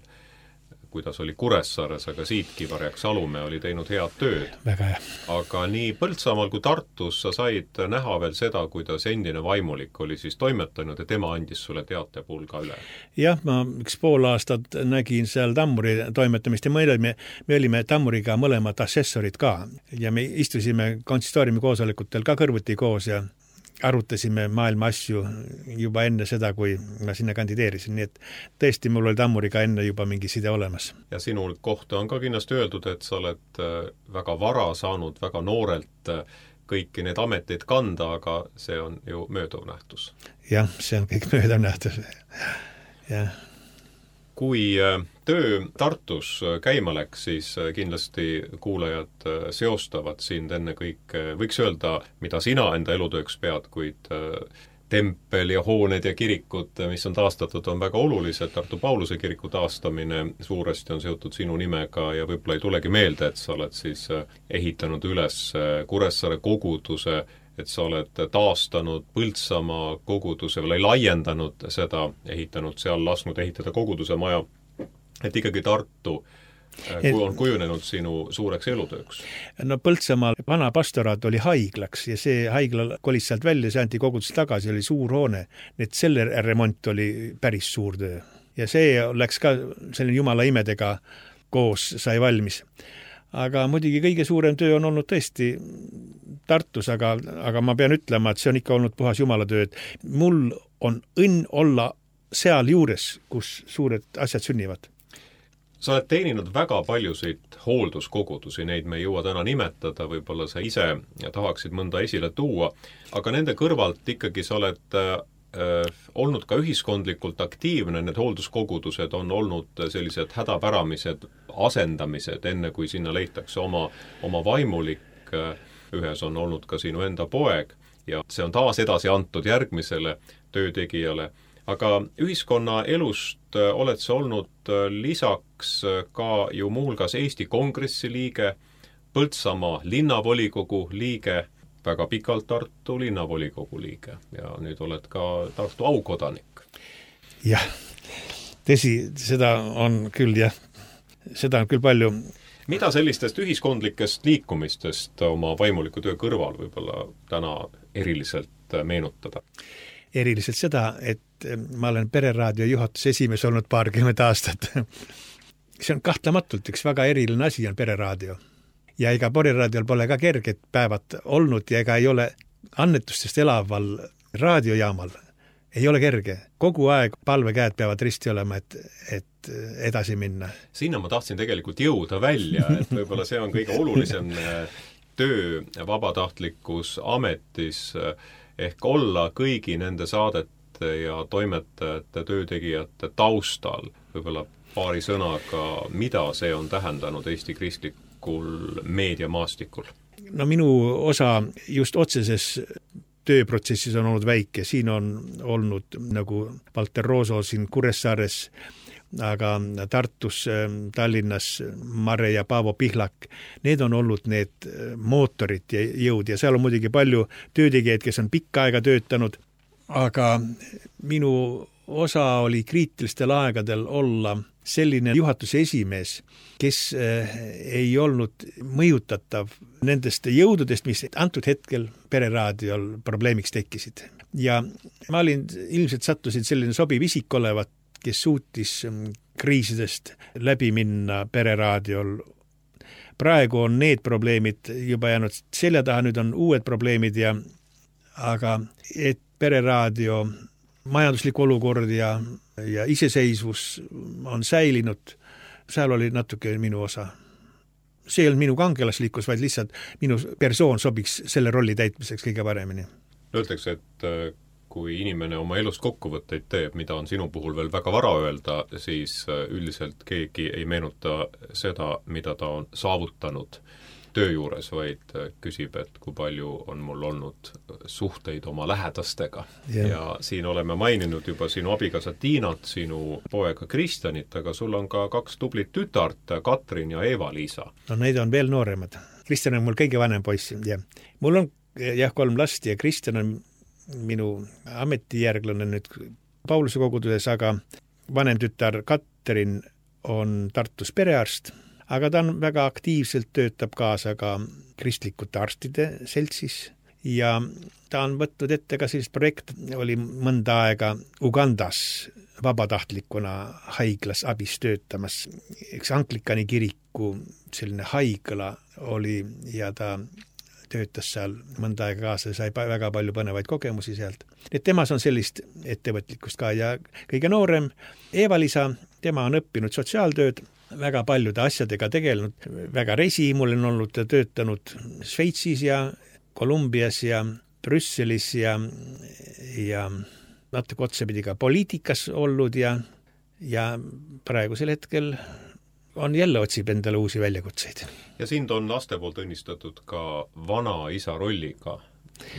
kuidas oli Kuressaares, aga siitki Varjak Salumäe oli teinud head tööd. Väga hea. Aga nii Põltsamaal kui Tartus sa said näha veel seda, kuidas endine vaimulik oli siis toimetanud ja tema andis sulle teatepulga üle. Jah, ma 1,5 aastat nägin seal Tammuri toimetamist ja me olime Tammuriga mõlemad assessorid ka ja me istusime konsistooriumi koosolekutel ka kõrvuti koos ja arutasime maailma asju juba enne seda, kui ma sinna kandideerisin, nii et tõesti mul oli Tammuriga enne juba mingi side olemas. Ja sinul kohta on ka kindlasti öeldud, et sa oled väga vara saanud, väga noorelt kõiki need ameteid kanda, aga see on ju mööduv nähtus. Jah, see on kõik mööduv nähtus. Jah. Kui töö Tartus käima läks, siis kindlasti kuulajad seostavad sind enne kõik, võiks öelda, mida sina enda elutööks pead, kuid tempel ja hooned ja kirikud, mis on taastatud, on väga olulised. Tartu Pauluse kiriku taastamine suuresti on seotud sinu nimega ja võib-olla ei tulegi meelde, et sa oled siis ehitanud üles Kuressaare koguduse, et sa oled taastanud Põltsamaa koguduse või laiendanud seda, ehitanud seal, lasknud ehitada koguduse maja, et ikkagi Tartu on kujunenud sinu suureks elutööks. No Põltsamaal vana pastoraat oli haiglaks ja see haigla kolis sealt välja, see anti kogudus tagasi, oli suur hoone, et selle remont oli päris suur töö. Ja see läks ka selline jumala imedega koos sai valmis. Aga muidugi kõige suurem töö on olnud tõesti Tartus, aga ma pean ütlema, et see on ikka olnud puhas jumala töö. Mul on õnn olla seal juures, kus suured asjad sünnivad. Sa oled teeninud väga paljusid hoolduskogudusi, neid me ei jõua täna nimetada, võib-olla sa ise tahaksid mõnda esile tuua, aga nende kõrvalt ikkagi sa oled olnud ka ühiskondlikult aktiivne, need hoolduskogudused on olnud sellised hädapäramised asendamised, enne kui sinna leitakse oma vaimulik, ühes on olnud ka sinu enda poeg ja see on taas edasi antud järgmisele töötegijale. Aga ühiskonna elust oled sa olnud lisaks ka ju muuhulgas Eesti Kongressi liige, Põltsamaa linnavolikogu liige, väga pikalt Tartu linnavolikogu liige ja nüüd oled ka Tartu aukodanik. Jah, tõsi, seda on küll jah. seda on küll palju. Mida sellistest ühiskondlikest liikumistest oma vaimuliku töö kõrval võib-olla täna eriliselt meenutada? Eriliselt seda, et ma olen Pereraadio juhatuse esimees olnud 20 aastat. See on kahtlematult üks väga eriline asi on Pereraadio. Ja ega Pereraadiol pole ka kerged päevad olnud ja ega ei ole annetustest elaval raadiojaamal. Ei ole kerge. Kogu aeg palvekäed peavad risti olema, et edasi minna. Sinna ma tahtsin tegelikult jõuda välja, et võib-olla see on kõige olulisem töö vabatahtlikus ametis ehk olla kõigi nende saadete ja toimetajate, töötegijate taustal. Võib-olla paari sõnaga, mida see on tähendanud Eesti kristlikul meediamaastikul? No minu osa just otseses tööprotsessis on olnud väike, siin on olnud nagu Valter Rooso siin Kuressaares, aga Tartus, Tallinnas Mare ja Paavo Pihlak, need on olnud need mootorid ja jõud ja seal on muidugi palju töötegijaid, kes on pikka aega töötanud, aga minu osa oli kriitilistel aegadel olla selline juhatuse esimees, kes ei olnud mõjutatav nendest jõududest, mis antud hetkel Pereraadiol probleemiks tekkisid. Ja ma ilmselt sattusin selline sobiv isik olevat, kes suutis kriisidest läbi minna Pereraadiol. Praegu on need probleemid juba jäänud selja taha, nüüd on uued probleemid aga et Pereraadio majanduslik olukord ja iseseisvus on säilinud, seal oli natuke minu osa. See ei olnud minu kangelaslikkus, vaid lihtsalt minu persoon sobiks selle rolli täitmiseks kõige paremini. Öeldakse, et kui inimene oma elust kokkuvõtteid teeb, mida on sinu puhul veel väga vara öelda, siis üldiselt keegi ei meenuta seda, mida ta on saavutanud töö juures, vaid küsib, et kui palju on mul olnud suhteid oma lähedastega. Ja siin oleme maininud juba sinu abikaasa Tiinat, sinu poega Kristjanit, aga sul on ka 2 tublit tütart, Katrin ja Eva-Liisa. No neid on veel nooremad. Kristjan on mul kõige vanem poiss. Ja. Mul on 3 last ja Kristjan on minu ametijärglane nüüd Pauluse koguduses, aga vanem tütar Katrin on Tartus perearst. Aga ta on väga aktiivselt töötab kaasa ka kristlikute arstide seltsis ja ta on võtnud ette ka sellist projekt, oli mõnda aega Ugandas vabatahtlikuna haiglas abis töötamas. Eks Anglikani kiriku selline haigla oli ja ta töötas seal mõnda aega kaasa ja sai väga palju põnevaid kogemusi sealt. Et temas on sellist ettevõtlikkust ka ja kõige noorem Eva-Liisa, tema on õppinud sotsiaaltööd, väga paljude asjadega tegelenud, väga mul on olnud töötanud Šveitsis ja Kolumbias ja Brüsselis ja natuke otsapidi ka poliitikas olnud ja praegusel hetkel on jälle otsib endale uusi väljakutseid. Ja sind on laste poolt õnnistatud ka vanaisa rolliga.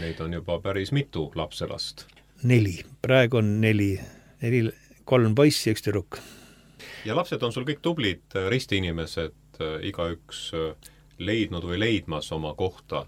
Neid on juba päris mitu lapselast. 4. Praegu on 4. 3 poissi ja 1 tüdruk. Ja lapsed on sul kõik tublid ristiinimesed, igaüks leidnud või leidmas oma kohta,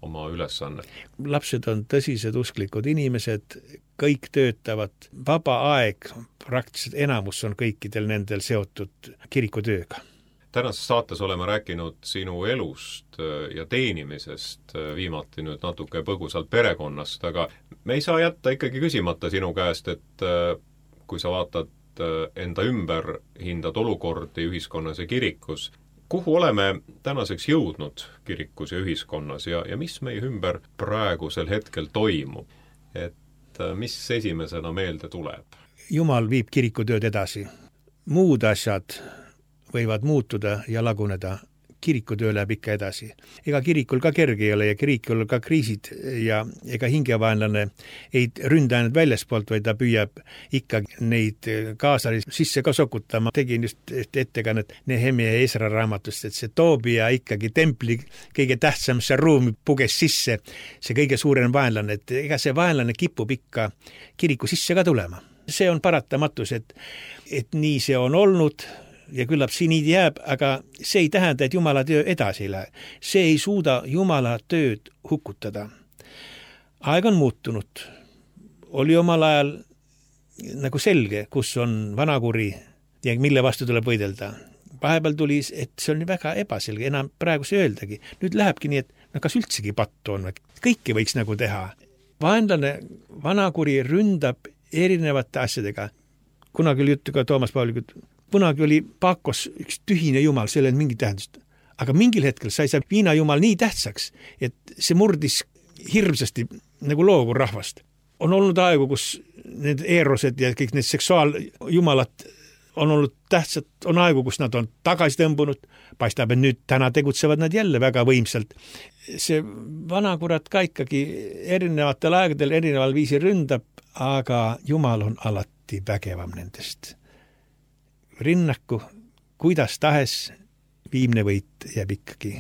oma ülesannet. Lapsed on tõsised usklikud inimesed, kõik töötavad. Vaba aeg, praktiliselt enamus on kõikidel nendel seotud kirikutööga. Tänases saates oleme rääkinud sinu elust ja teenimisest, viimati nüüd natuke põgusalt perekonnast, aga me ei saa jätta ikkagi küsimata sinu käest, et kui sa vaatad enda ümber, hindad olukordi ühiskonnas ja kirikus. Kuhu oleme tänaseks jõudnud kirikus ja ühiskonnas ja mis meie ümber praegusel hetkel toimub? Et mis esimesena meelde tuleb? Jumal viib kirikutööd edasi. Muud asjad võivad muutuda ja laguneda. Kirikutöö läheb ikka edasi. Ega kirikul ka kerge ei ole ja kirikul ka kriisid ja ega hingevaenlane ei ründa ainult väljaspoolt, vaid ta püüab ikka neid kaasari sisse ka sokutama. Tegin just ettekannet Nehemia ja Esra raamatust, et see Toobia ikkagi templi kõige tähtsamasse ruumi puges sisse, see kõige suurem vaenlane, et ega see vaenlane kipub ikka kiriku sisse ka tulema. See on paratamatus, et nii see on olnud ja küllap siin jääb, aga see ei tähenda, et Jumala töö edasi ei lähe. See ei suuda Jumala tööd hukutada. Aeg on muutunud. Oli omal ajal nagu selge, kus on vanakuri ja mille vastu tuleb võidelda. vahepeal tuli, et see on väga ebaselge, enam praegu see öeldagi. Nüüd lähebki nii, et kas üldsegi pattu on, kõike võiks nagu teha. Vaenlane, vanakuri ründab erinevate asjadega. Kunagi oli juttu ka Toomas Paulikult, kunagi oli Pakos üks tühine jumal, see ei olnud mingi tähendust. Aga mingil hetkel sai see viinajumal nii tähtsaks, et see murdis hirmsasti nagu loogu rahvast. On olnud aegu, kus need eerosed ja kõik need seksuaaljumalad on olnud tähtsad, on aegu, kus nad on tagasi tõmbunud, paistab, et nüüd täna tegutsevad nad jälle väga võimsalt. See vanakurat ka ikkagi erinevatel aegadel erineval viisil ründab, aga Jumal on alati vägevam nendest. Rinnaku, kuidas tahes, viimne võit jääb ikkagi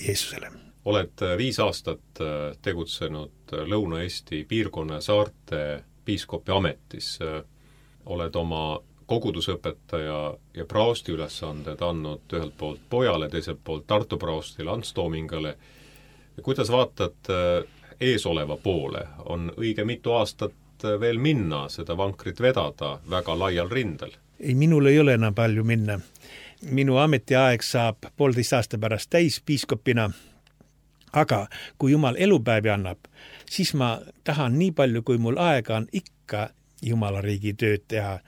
Jeesusele. Oled 5 aastat tegutsenud Lõuna-Eesti piirkonna saarte piiskopi ametis. Oled oma kogudusõpetaja ja praosti ülesanded andnud ühelt poolt pojale, teiselt poolt Tartu praostile Ants Toomingale. Kuidas vaatad eesoleva poole? On õige mitu aastat veel minna, seda vankrit vedada väga laial rindel? Ei, minul ei ole enam palju minna. Minu ametiaeg saab 1,5 aasta pärast täis piiskopina, aga kui Jumal elupäevi annab, siis ma tahan nii palju, kui mul aega on ikka Jumala riigi tööd teha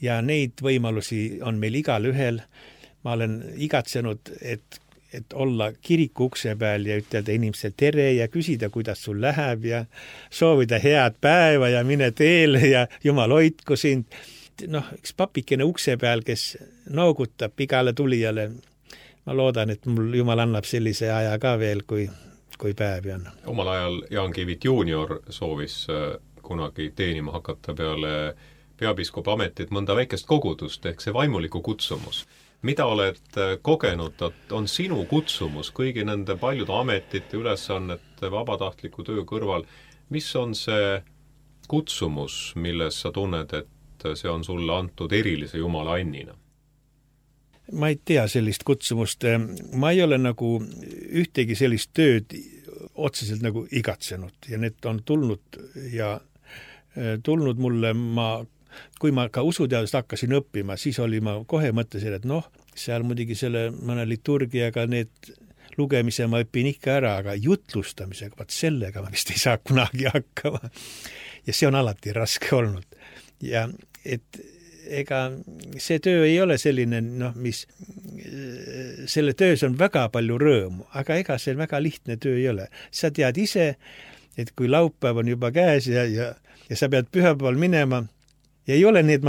ja neid võimalusi on meil igal ühel. Ma olen igatsenud, et olla kiriku ukse peal ja ütelda inimesele tere ja küsida, kuidas sul läheb ja soovida head päeva ja mine teele ja Jumal hoidku sind. Üks papikene ukse peal, kes noogutab igale tulijale. Ma loodan, et mul Jumal annab sellise aja ka veel, kui päevi on. Omal ajal Jaan Kivit junior soovis kunagi teenima hakata peale peapiiskopi ametit mõnda väikest kogudust, ehk see vaimuliku kutsumus. Mida oled kogenud, on sinu kutsumus kõigi nende paljude ametite, ülesannete, vabatahtliku töö kõrval? Mis on see kutsumus, milles sa tunned, et see on sulle antud erilise Jumala annina? Ma ei tea sellist kutsumust. Ma ei ole nagu ühtegi sellist tööd otseselt nagu igatsenud ja need on tulnud mulle, kui ma ka usuteadust hakkasin õppima, siis oli ma kohe mõtlesin, et seal muidugi selle mõne liturgiaga need lugemise ma õpin ikka ära, aga jutlustamisega, sellega ma vist ei saa kunagi hakkama. Ja see on alati raske olnud. Ja et ega see töö ei ole selline, mis selle töös on väga palju rõõmu, aga ega see väga lihtne töö ei ole. Sa tead ise, et kui laupäev on juba käes ja sa pead pühapäeval minema ja ei ole nii, et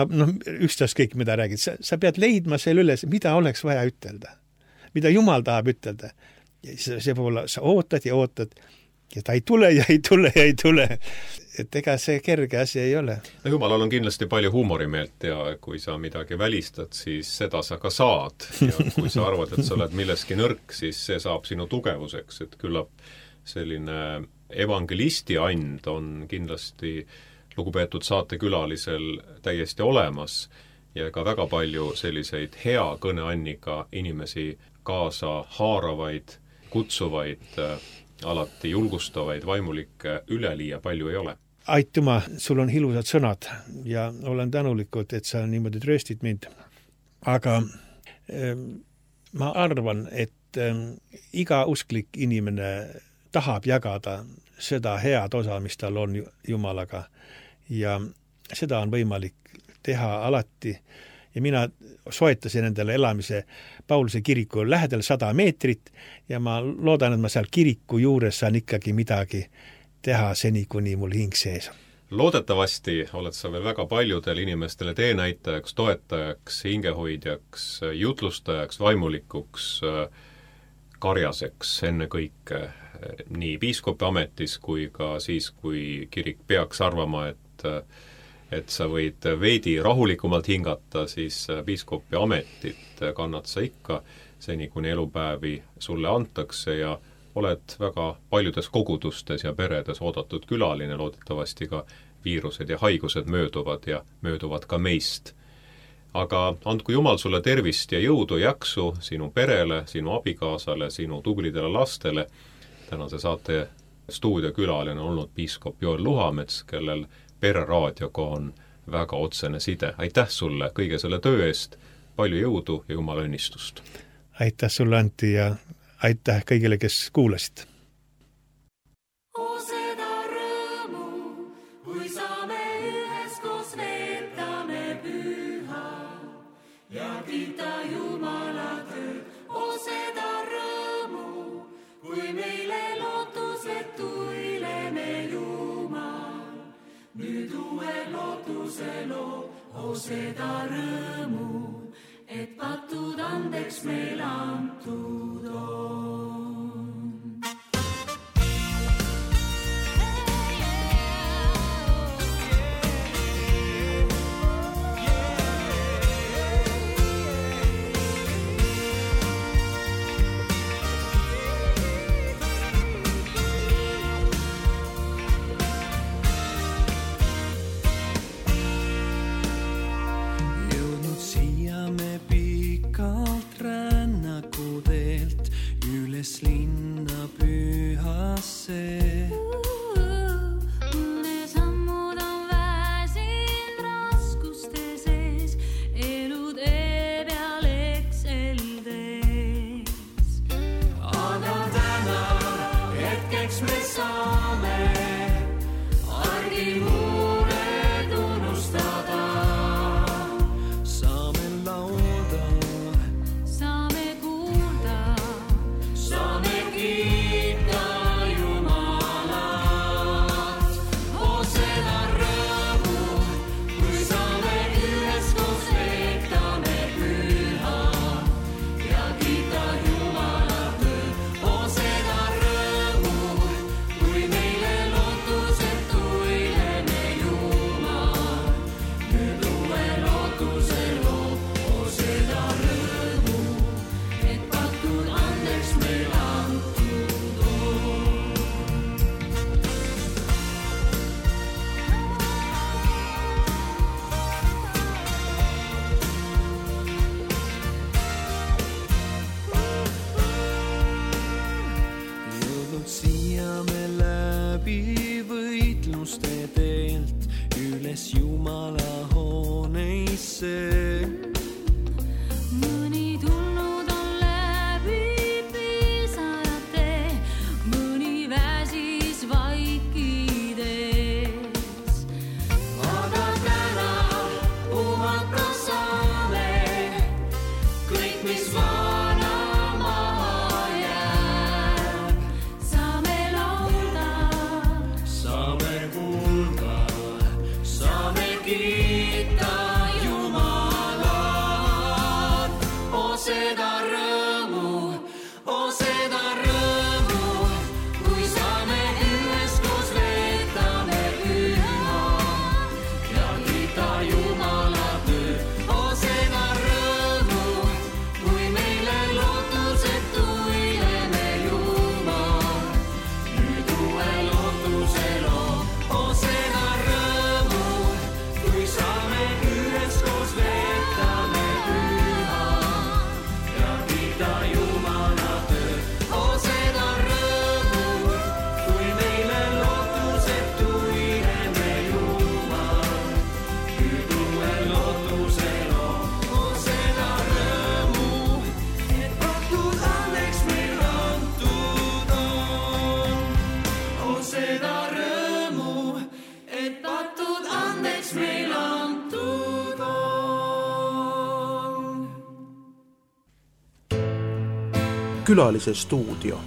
ükstaas kõik, mida räägid. Sa pead leidma selle üles, mida oleks vaja ütelda, mida Jumal tahab ütelda. Ja see poole sa ootad ja ta ei tule ja ei tule ja ei tule. Et ega see kerge asi ei ole. Jumalal on kindlasti palju huumorimeelt ja kui sa midagi välistad, siis seda sa ka saad. Ja kui sa arvad, et sa oled milleski nõrk, siis see saab sinu tugevuseks. Et küllap selline evangelisti and on kindlasti lugupeetud saatekülalisel täiesti olemas ja ka väga palju selliseid hea kõneanniga inimesi kaasa haaravaid, kutsuvaid, alati julgustavaid, vaimulikke üleliia palju ei ole. Aitüma, sul on ilusad sõnad ja olen tänulikud, et sa niimoodi trööstid mind. Aga ma arvan, et iga usklik inimene tahab jagada seda head osa, mis tal on Jumalaga ja seda on võimalik teha alati. Ja mina soetasin endale elamise Pauluse kiriku lähedal 100 meetrit ja ma loodan, et ma seal kiriku juures saan ikkagi midagi teha seni, kuni mul hing sees. Loodetavasti oled sa veel väga paljudele inimestele teenäitajaks, toetajaks, hingehoidjaks, jutlustajaks, vaimulikuks, karjaseks enne kõike nii piiskopi ametis kui ka siis, kui kirik peaks arvama, et sa võid veidi rahulikumalt hingata, siis piiskopi ametit kannad sa ikka seni, kuni elupäevi sulle antakse ja oled väga paljudes kogudustes ja peredes oodatud külaline, loodetavasti ka viirused ja haigused mööduvad ja mööduvad ka meist. Aga andku Jumal sulle tervist ja jõudu, jaksu sinu perele, sinu abikaasale, sinu tublidele lastele. Tänase saate stuudiokülaline on olnud piiskop Joel Luhamets, kellel Pereraadioga on väga otsene side. Aitäh sulle kõige selle töö eest, palju jõudu ja Jumala õnnistust! Aitäh sulle, Antti, ja aitäh kõigile, kes kuulasid! Nüüd uue lootuse loo, seda rõõmu, et patud andeks meil antud on. Linna pühasse. Mõne sammud on väsin raskuste sees, elu tee peal ekseldes. Aga täna hetkeks me saame argimuured unustada. Saame laulda, saame kuulda, kiita Jumalat, seda rõõmu, kui saame üheskoos veetame püha ja kiita Jumalat, seda rõõmu, kui meile lootusetu ilene Jumal, nüüd uue lootuse loo, seda rõõmu, et patud andeks meil võitluste teelt üles Jumala hooneisse. Mõni tulnud on läbi pisarate, mõni väsis vaikides. Aga täna puhata saame kõik, mis vana maha jääb. Saame laulda, saame kuulda, saame kiita Jumalat. Seda rõõmu, kui saame üheskoos veetame püha ja kiita Jumalat. Seda rõõmu, kui meile lootusetu ilene Jumal, nüüd uue lootuse loo. Seda rõõmu, kui saame üheskoos veetame püha ja kiita Jumalat. Seda rõõmu, kui meile lootusetu ilene Jumal, nüüd uue lootuse loo. Seda rõõmu, et patud andeks meil antud on. Seda rõõmu, et patud andeks meil antud on. Külalise stuudio.